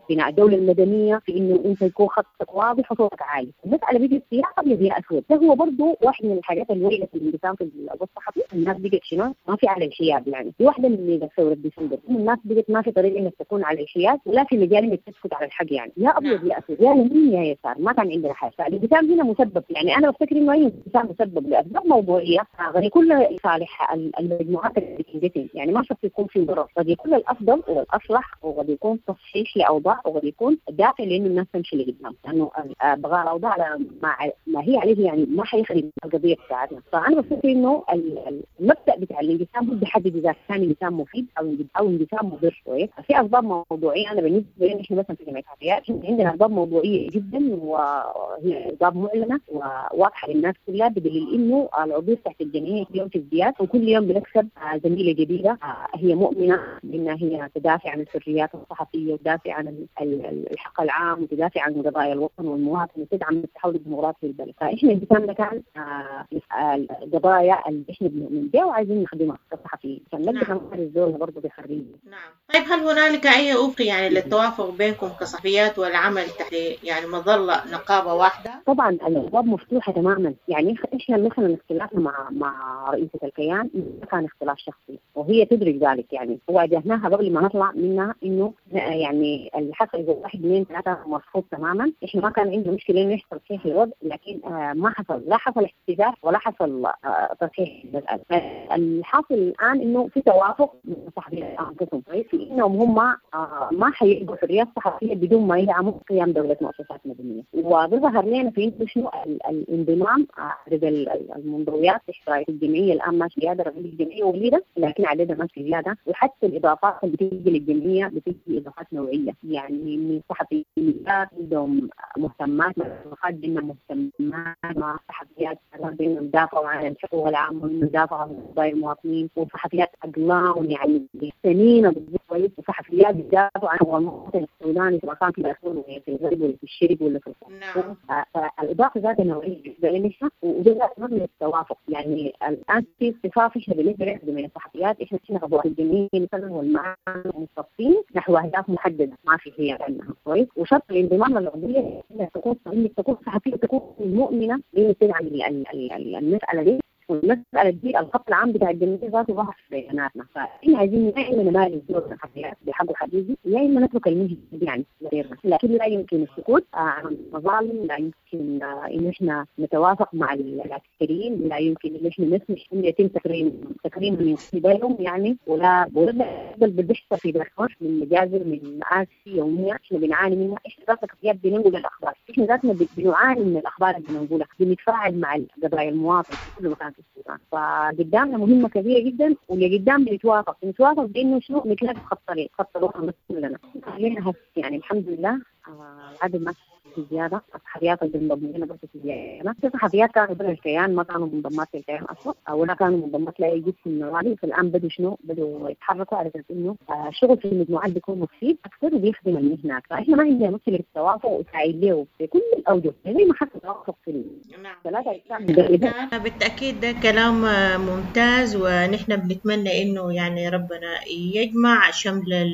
بناء الدولة المدنية، في انه انت يكون خطك واضح وصوتك عالي. المسالة بقت يا ابيض يا اسود. ده هو برضه واحد من الحاجات اللي ولدت الانقسام في الوسط الصحفي. الناس بقت شنو؟ ما في على الحياد. يعني دي واحدة من ثورة ديسمبر، الناس بقت ما في طريقه انك تكون على الحياد ولا في مجال انك تسكت على الحق. يعني يا ابيض يا اسود، يا يمين يا يسار، ما كان عندنا حاجة. فالانقسام هنا مسبب، يعني انا بفتكر انه اي انقسام مسبب لاسباب موضوعية قد يكون لصالح المجموعات اللي بتنقسم، يعني ما شرط يكون في ضرر، قد يكون الافضل والاصلح، وقد يكون تصحيح لاوضاع، وقد يكون دافع لانه الناس تمشي لقدام، لانه بغاء الاوضاع على ما هي عليه يعني ما حيخرب القضية بتاعتنا. فانا بفتكر انه المبدا بتاع الانقسام هو بيحدد اذا كان انقسام مفيد او انقسام مضر. كويس، في اسباب موضوعية. انا بالنسبة لي احنا مثلا في جمعية الحريات عندنا اسباب موضوعية جدا، وهي اسباب معلنة وواضحة للناس كلها، بدليل انه العضوية تحت الجمعية كل يوم في ازدياد، وكل يوم بنكسب زميله جديدة هي مؤمنة بانها هي تدافع عن الحريات الصحفية وتدافع عن الحق العام وتدافع عن قضايا الوطن والمواطن وتدعم التحول الديمقراطي في البلد. فاحنا انقسامنا كان القضايا اللي احنا بنؤمن بها وعايزين نخدمها كصحفيين عشان نقدر نمارس دورنا برضه بحرية. نعم. طيب هل هنالك اي افق يعني للتوافق بينكم كصحفيات والعمل تحت يعني مظلة نقابة واحدة؟ طبعا الابواب مفتوحة تماما. يعني احنا مثلا اختلافنا مع رئيسه الكيان ما كان اختلاف شخصي، وهي تدرك ذلك. يعني واجهناها قبل ما نطلع منها انه يعني اللي حصل اذا 1 2 3 مرفوض تماما. احنا ما كان عندنا مشكلة انه يحصل تصحيح الوضع، لكن ما حصل، لا حصل احتجاج ولا حصل تصحيح المسالة. الحاصل الان انه في توافق من الصحفيين انفسهم، كويس، في انهم هم ما حيلقوا حريات صحفية بدون ما يدعموا قيام دولة مؤسسات مدنية. وبظهر لنا في انه شنو الانضمام، عدد المنضويات تحت رايه الجمعية الان ماشي زيادة، رغم الجمعية وليده لكن عددها ماشي زيادة، وحتى الاضافات اللي بتيجي للجمعية بتيجي اضافات نوعية، يعني من صحفيات عندهم مهتمات، مع مهتمات مع صحفيات بانهم دافعوا عن الحقوق العامة وانهم دافعوا عن قضايا المواطنين، وصحفيات اقلام يعني سنين كويس، وصحفيات بيدافعوا عن المواطن السوداني سواء كان في دارفور ولا في الغرب ولا في الشرق ولا في الخرطوم. فالاضافه ذات نوعية بالنسبة لنا، وده مبني التوافق. يعني الان في اصطفاف احنا بالنسبة لنا من الصحفيات، احنا عضوات الجمعية مثلا والمعامل مصطفين نحو اهداف محددة ما في هي عنها، كويس. وشرط الانضمام للعضويه انك تكون صحفية، تكون مؤمنة بان تدعم المسالة دي. والمسألة دي الخط العام بتاع الجمعية ذاته ظهر في بياناتنا. فاحنا عايزين يا اما نمارس دور الصحفيات بحقه حقيقي، يا اما نترك المهنة دي يعني غيرنا. لكن لا يمكن السكوت عن المظالم، لا يمكن ان احنا نتوافق مع العسكريين، لا يمكن ان احنا نسمح ان يتم تكريم من قبلهم يعني، ولا بل بيحصل في دارفور من مجازر من مآسي يومية احنا بنعاني منها. احنا ذاتنا كصحفيات بننقل الاخبار، احنا ذاتنا بنعاني من الاخبار اللي بنقولها، بنتفاعل مع قضايا المواطن في كل مكان في السودان. فقدامنا مهمة كبيرة جدا، واللي قدام بنتوافق بانه شنو نتلاقى في خط طريق، خط الوطن بس كلنا خلينا يعني الحمد لله العدد ما في زيادة، الصحفيات اللي بنضم لنا برضه في زيادة. في صحفيات كانوا برا الكيان، ما كانوا منضمات للكيان اصلا، ولا كانوا منضمات لاي جسم من النوادي. فالان بدوا شنو؟ بدوا يتحركوا على اساس انه الشغل في المجموعات بيكون مفيد اكثر وبيخدم المهنة. فاحنا ما عندنا مشكلة في التوافق وسعيد له في كل الاوجه زي ما حصل توافق في ثلاثة اجسام. بالتاكيد ده كلام ممتاز، ونحن بنتمنى انه يعني ربنا يجمع شمل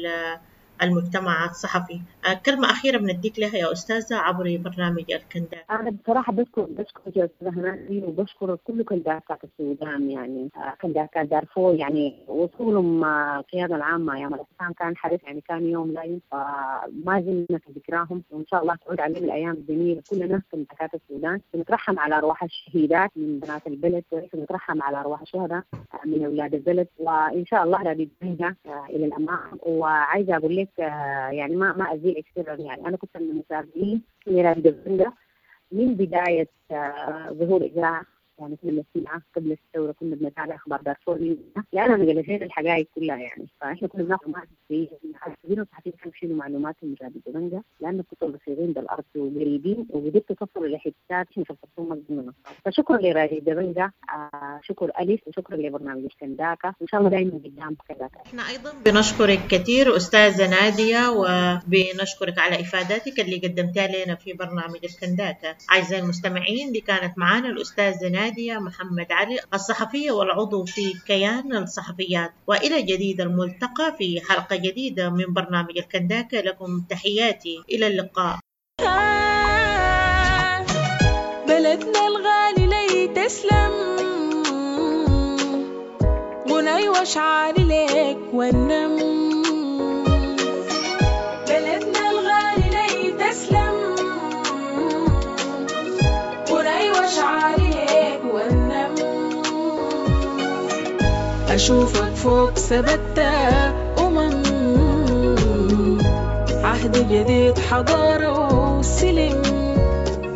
المجتمع الصحفي. كلمة أخيرة بنديك لها يا أستاذة عبر برنامج الكنداكة. أنا بصراحة بشكر يا أستاذة هنادي، وبشكر كل كنداكات السودان، يعني كنداكات دارفور، يعني وصولهم القيادة العامة أيام الإسلام كان حدث يعني كان يوم لا ينسى، ما زلنا في ذكراهم، وإن شاء الله تعود علينا الأيام الجميلة. كلنا كنداكات السودان بنترحم على أرواح الشهيدات من بنات البلد، بنترحم على أرواح الشهداء من أولاد البلد، وإن شاء الله رادي إلى الأمام. وعايزة أقول لك يعني ما أزيل كثير، يعني أنا كنت من المتابعين لراديو دبنجة من بداية ظهور إذاعة، يعني كنا بنسمعها قبل الثورة، كنا بنتابع أخبار دارفور لأنها نقلت الحقائق كلها يعني. فإحنا كنا بناخذ معلومات الصحفيين والصحفيين كانوا يشيلوا معلومات من راديو دبنجة، لأنه كنتوا بصيرين بالأرض وقريبين وقدرتوا تصلوا لحتات إحنا في الخرطوم ما قدرنا نوصل. فشكرا لراديو دبنجة، شكر ألف، وشكرا لبرنامج الكنداكة، وإن شاء الله دائما قدام كنداكة. إحنا أيضا بنشكرك كثير أستاذة نادية، وبنشكرك على إفاداتك اللي قدمتها لنا في برنامج الكنداكة. أعزائي المستمعين، دي كانت معنا الأستاذة نادية محمد علي، الصحفية والعضو في كيان الصحفيات. وإلى جديد الملتقى في حلقة جديدة من برنامج الكنداكة. لكم تحياتي، إلى اللقاء. بلدنا الغالي لي تسلم، غناي واشعاري ليك والنم. بلدنا الغالي لي تسلم، غناي واشعاري ليك والنم. أشوفك فوق ثبت أمم، عهد جديد حضارة وسلم.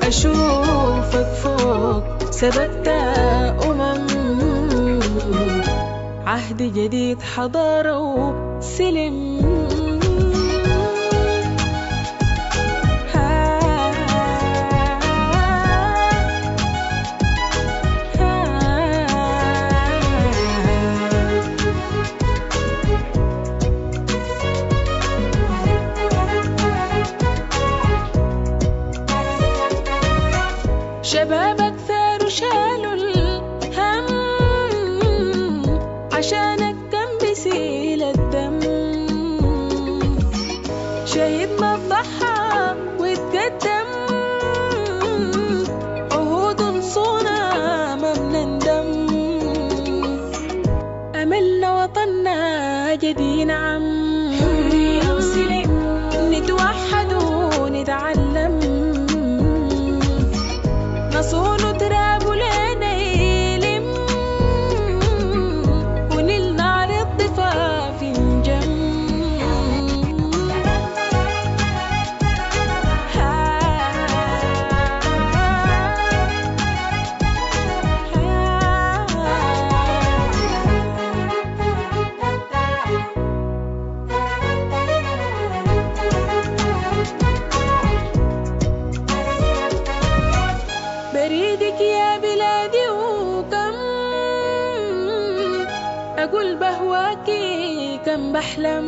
أشوفك فوق ثبت أمم، عهد جديد حضارة وسلم. شبابك ثاروا شالوا الهم، عشانك كان بيسيل الدم. شهيدنا ضحى واتقدم، عهود نصونا ما بنندم. أملنا وطننا جدي نعم، حرية وسلم نتوحد ونتعلم. نصون تراب لنا يلم، ونلنا على الضفاف نجم. بريدك يا بلادي وكم أقول بهواكي كم بحلم.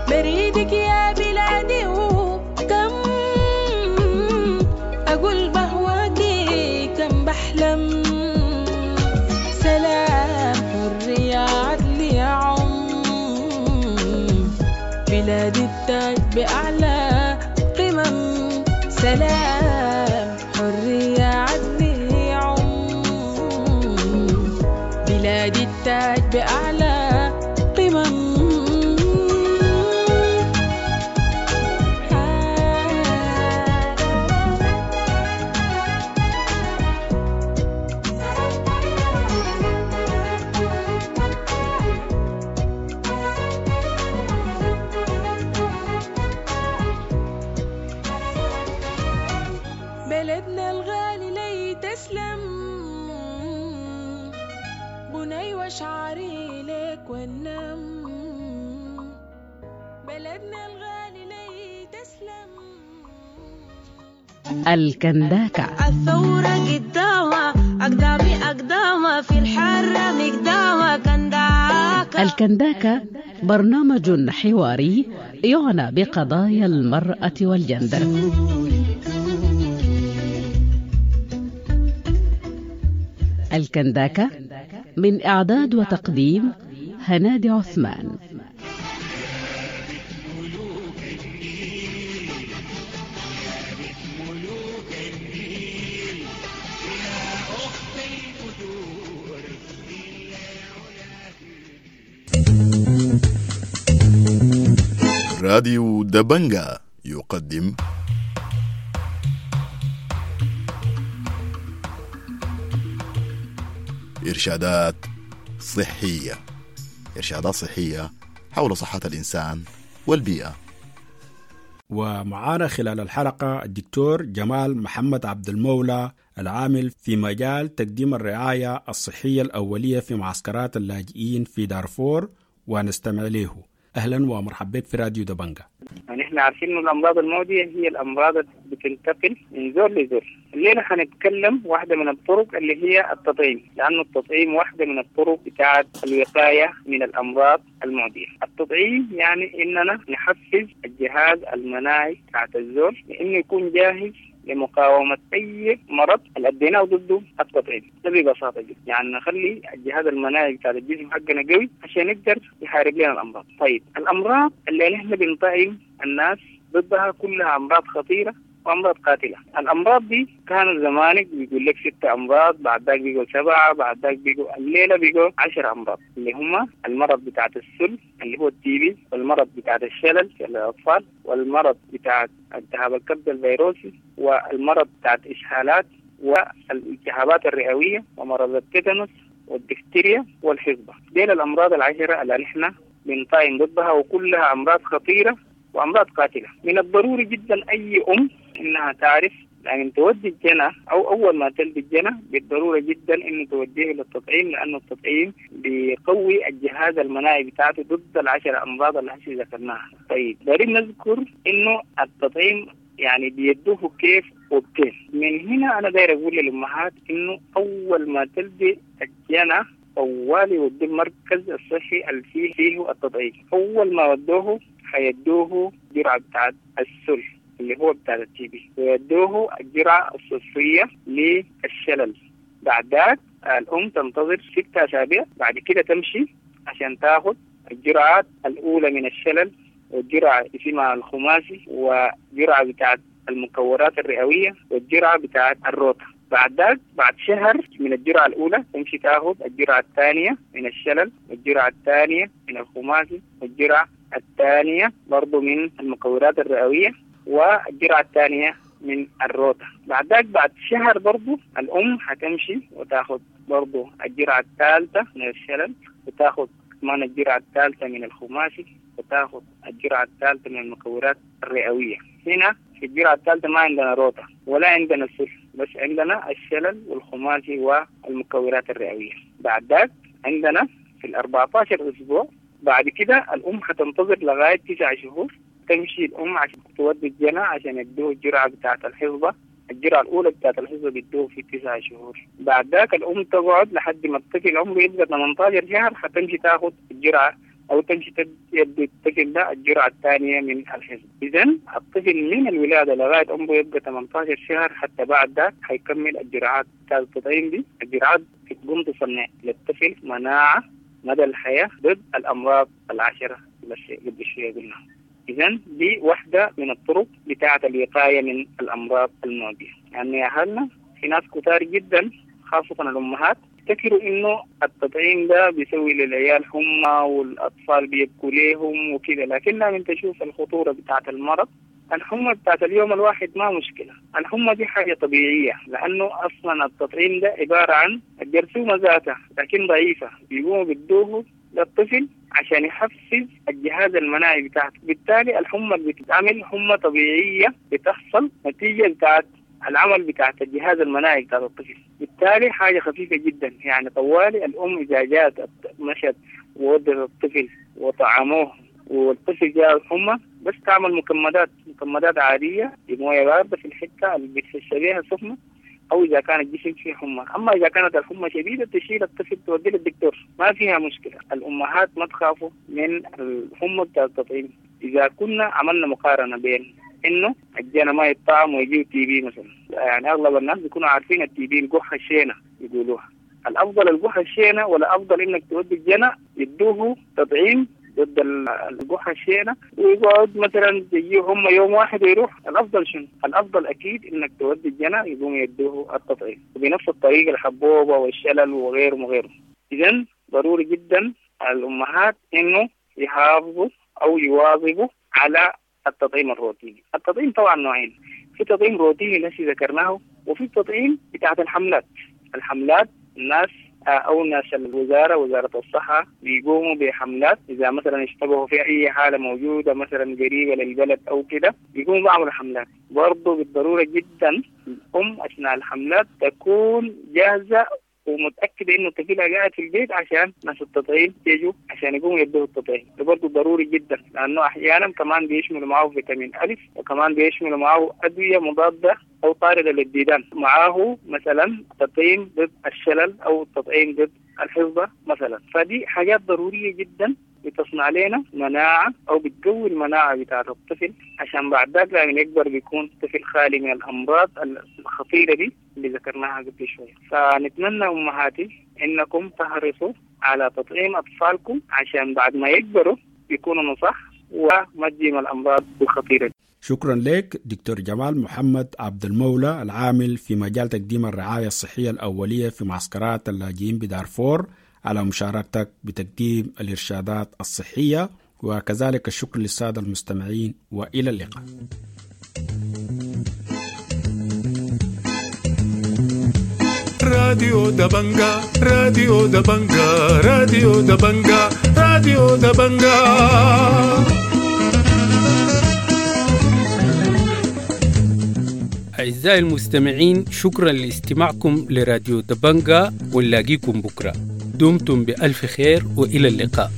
بريدك يا بلادي وكم أقول بهواكي كم بحلم. سلام حرية عدل يا عم، بلادي التاج بأعلى قمم. سلام حرية عدل يا عم، الكنداكة. الثورة قدامها أقدامي أقدامها في الحرة مقدامها كنداكة. الكنداكة برنامج حواري يعنى بقضايا المرأة والجندر. الكنداكة من إعداد وتقديم هنادي عثمان. راديو دبنجا يقدم إرشادات صحية. إرشادات صحية حول صحة الإنسان والبيئة. ومعانا خلال الحلقة الدكتور جمال محمد عبد المولى، العامل في مجال تقديم الرعاية الصحية الأولية في معسكرات اللاجئين في دارفور، ونستمع له. أهلا ومرحبا بك في راديو دبنجا. نحن عارفين أن الأمراض المعدية هي الأمراض اللي بتنتقل من زول لزول. الليلة حنتكلم واحدة من الطرق اللي هي التطعيم، لأنه التطعيم واحدة من الطرق بتاعة الوقاية من الأمراض المعدية. التطعيم يعني إننا نحفز الجهاز المناعي بتاعة الزول لإنه يكون جاهز لمقاومة أي مرض اللي أديناه ضده التطعيم. ده ببساطة جدا، يعني نخلي الجهاز المناعي بتاع الجسم حقنا قوي عشان يقدر يحارب لنا الأمراض. طيب الأمراض اللي نحن بنطعم الناس ضدها كلها أمراض خطيرة وأمراض قاتلة. الأمراض دي كانوا زمانك بيقول لك 6 أمراض، بعد ذاك بيقول 7، بعد ذاك بيقول الليلة بيقول 10 أمراض، اللي هم المرض بتاعت السل اللي هو التيبي، والمرض بتاعت الشلل للأطفال، والمرض بتاعت التهاب الكبد الفيروسي، والمرض بتاعت إسهالات، والالتهابات الرئوية، ومرض التيتانوس والدفتيريا والحصبة. ديل الأمراض 10 اللي نحن بنطعم ضدها، وكلها أمراض خطيرة وأمراض قاتلة. من الضروري جدا أي أم إنها تعرف لأن تودي الجنى أو أول ما تلد الجنى بالضرورة جدا إنه توديه للتطعيم، لأنه التطعيم بيقوي الجهاز المناعي بتاعته ضد 10 أمراض اللي هسه ذكرناها. طيب دارين نذكر إنه التطعيم يعني بيدوه كيف وبكيف. من هنا أنا داير أقول للأمهات إنه أول ما تلدي الجنى طوالي وديه المركز الصحي اللي فيه التطعيم. أول ما ودوه حيدوه جرعة بتاعت السل اللي هو بتاع التي بي، ويدوه الجرعة الصفرية للشلل. بعد ذاك الأم تنتظر 6 أسابيع، بعد كده تمشي عشان تاخد الجرعات الأولى من الشلل، والجرعة اسمها الخماسي، وجرعة بتاعت المكورات الرئوية، والجرعة بتاعت الروتا. بعد ذاك بعد شهر من الجرعة الأولى تمشي تاخد الجرعة الثانية من الشلل، والجرعة الثانية من الخماسي، والجرعة الثانية برضو من المكورات الرئوية، والجرعة الثانية من الروتا. بعد ذاك بعد شهر برضو الأم حتمشي وتاخد برضو الجرعة الثالثة من الشلل، وتاخد كمان الجرعة الثالثة من الخماسي، وتاخد الجرعة الثالثة من المكورات الرئوية. هنا في الجرعة الثالثة ما عندنا روتا ولا عندنا سل، بس عندنا الشلل والخماسي والمكورات الرئوية. بعد ذاك عندنا في 14 أسبوع بعد كده الأم حتنتظر لغاية 9 شهور، تمشي الأم عشان تودي الجنى عشان يدوه الجرعة بتاعة الحصبة. الجرعة الأولى بتاعة الحصبة بيدوه في 9 شهور. بعد ذاك الأم تقعد لحد ما الطفل عمره يبقى 18 شهر، حتمشي تاخد الجرعة أو تمشي تدي الطفل ده الجرعة الثانية من الحصبة. إذن الطفل من الولادة لغاية عمره يبقى 18 شهر حتى بعد ذاك حيكمل الجرعات بتاعة التطعيم دي. الجرعات بتقوم تصنع للطفل مناعة مدى الحياة ضد الأمراض 10 اللي قبل شوية قلنا. إذن دي واحدة من الطرق بتاعة الوقاية من الأمراض المعدية. يعني يا أهلنا في ناس كتار جدا خاصة الأمهات يفتكروا إنه التطعيم ده بيسوي للعيال حمى والأطفال بيبكوا ليهم وكده، لكن لما تشوف الخطورة بتاعة المرض، الحمى بتاعت اليوم الواحد ما مشكلة، الحمى دي حاجة طبيعية لأنه أصلا التطعيم ده عبارة عن الجرثومة ذاتها لكن ضعيفة، بيقوموا بيدوه للطفل عشان يحفز الجهاز المناعي بتاعته، بالتالي الحمى اللي بتتعمل حمى طبيعية بتحصل نتيجة بتاعت العمل بتاعت الجهاز المناعي بتاع الطفل، بالتالي حاجة خفيفة جدا. يعني طوالي الأم إذا جات مشت وودت الطفل وطعموه والطفل جاء حمى، بس تعمل مكمدات عادية بمويه باردة في الحتة اللي بتحس بيها سخنة، أو إذا كان الجسم فيه حمى. أما إذا كانت الحمى شديدة تشيل الطفل توديه للدكتور، ما فيها مشكلة. الأمهات ما تخافوا من الحمى بتاع التطعيم. إذا كنا عملنا مقارنة بين إنه الجنى ما يطعم ويجيب TB مثلا، يعني أغلب الناس بيكونوا عارفين ال TB القحة الشينة يقولوها، الأفضل القحة الشينة ولا أفضل إنك تودي الجنى يدوه تطعيم ضد القحة الشينة ويقعد مثلا يجيه هم يوم واحد ويروح؟ الأفضل شنو؟ الأفضل أكيد إنك تودي الجنى يقوم يدوه التطعيم، وبنفس الطريقة الحبوبة والشلل وغيره وغيره. إذن ضروري جدا الأمهات إنه يحافظوا أو يواظبوا على التطعيم الروتيني. التطعيم طبعا نوعين، في تطعيم روتيني الذي ذكرناه، وفي تطعيم بتاعت الحملات. الحملات الناس أو ناس الوزارة، وزارة الصحة، بيقوموا بحملات إذا مثلا اشتبهوا في أي حالة موجودة مثلا قريبة للبلد أو كده، بيقوموا بعملوا حملات. برضه بالضرورة جدا الأم أثناء الحملات تكون جاهزة ومتأكدة إنه طفلها قاعد في البيت عشان ناس التطعيم يجوا عشان يقوموا يدوه التطعيم. ده برضه ضروري جدا، لأنه أحيانا كمان بيشملوا معه فيتامين ألف، وكمان بيشملوا معه أدوية مضادة أو طاردة للديدان، معاه مثلا تطعيم ضد الشلل أو تطعيم ضد الحصبة مثلا. فدي حاجات ضرورية جدا بتصنع لنا مناعة أو بتقوي المناعة بتاعة الطفل، عشان بعد ذاك لما يكبر بيكون طفل خالي من الأمراض الخطيرة دي اللي ذكرناها قبل شوية. فنتمنى أمهاتي إنكم تحرصوا على تطعيم أطفالكم عشان بعد ما يكبروا يكونوا نصح وما تجيهم الأمراض الخطيرة دي. شكرا لك دكتور جمال محمد عبد المولى، العامل في مجال تقديم الرعاية الصحية الأولية في معسكرات اللاجئين بدارفور، على مشاركتك بتقديم الإرشادات الصحية، وكذلك الشكر للسادة المستمعين، وإلى اللقاء. راديو دبنجا، راديو دبنجا، راديو دبنجا، راديو دبنجا. أعزائي المستمعين، شكرا لاستماعكم لراديو دبنجا، ونلاقيكم بكرة. دمتم بألف خير وإلى اللقاء.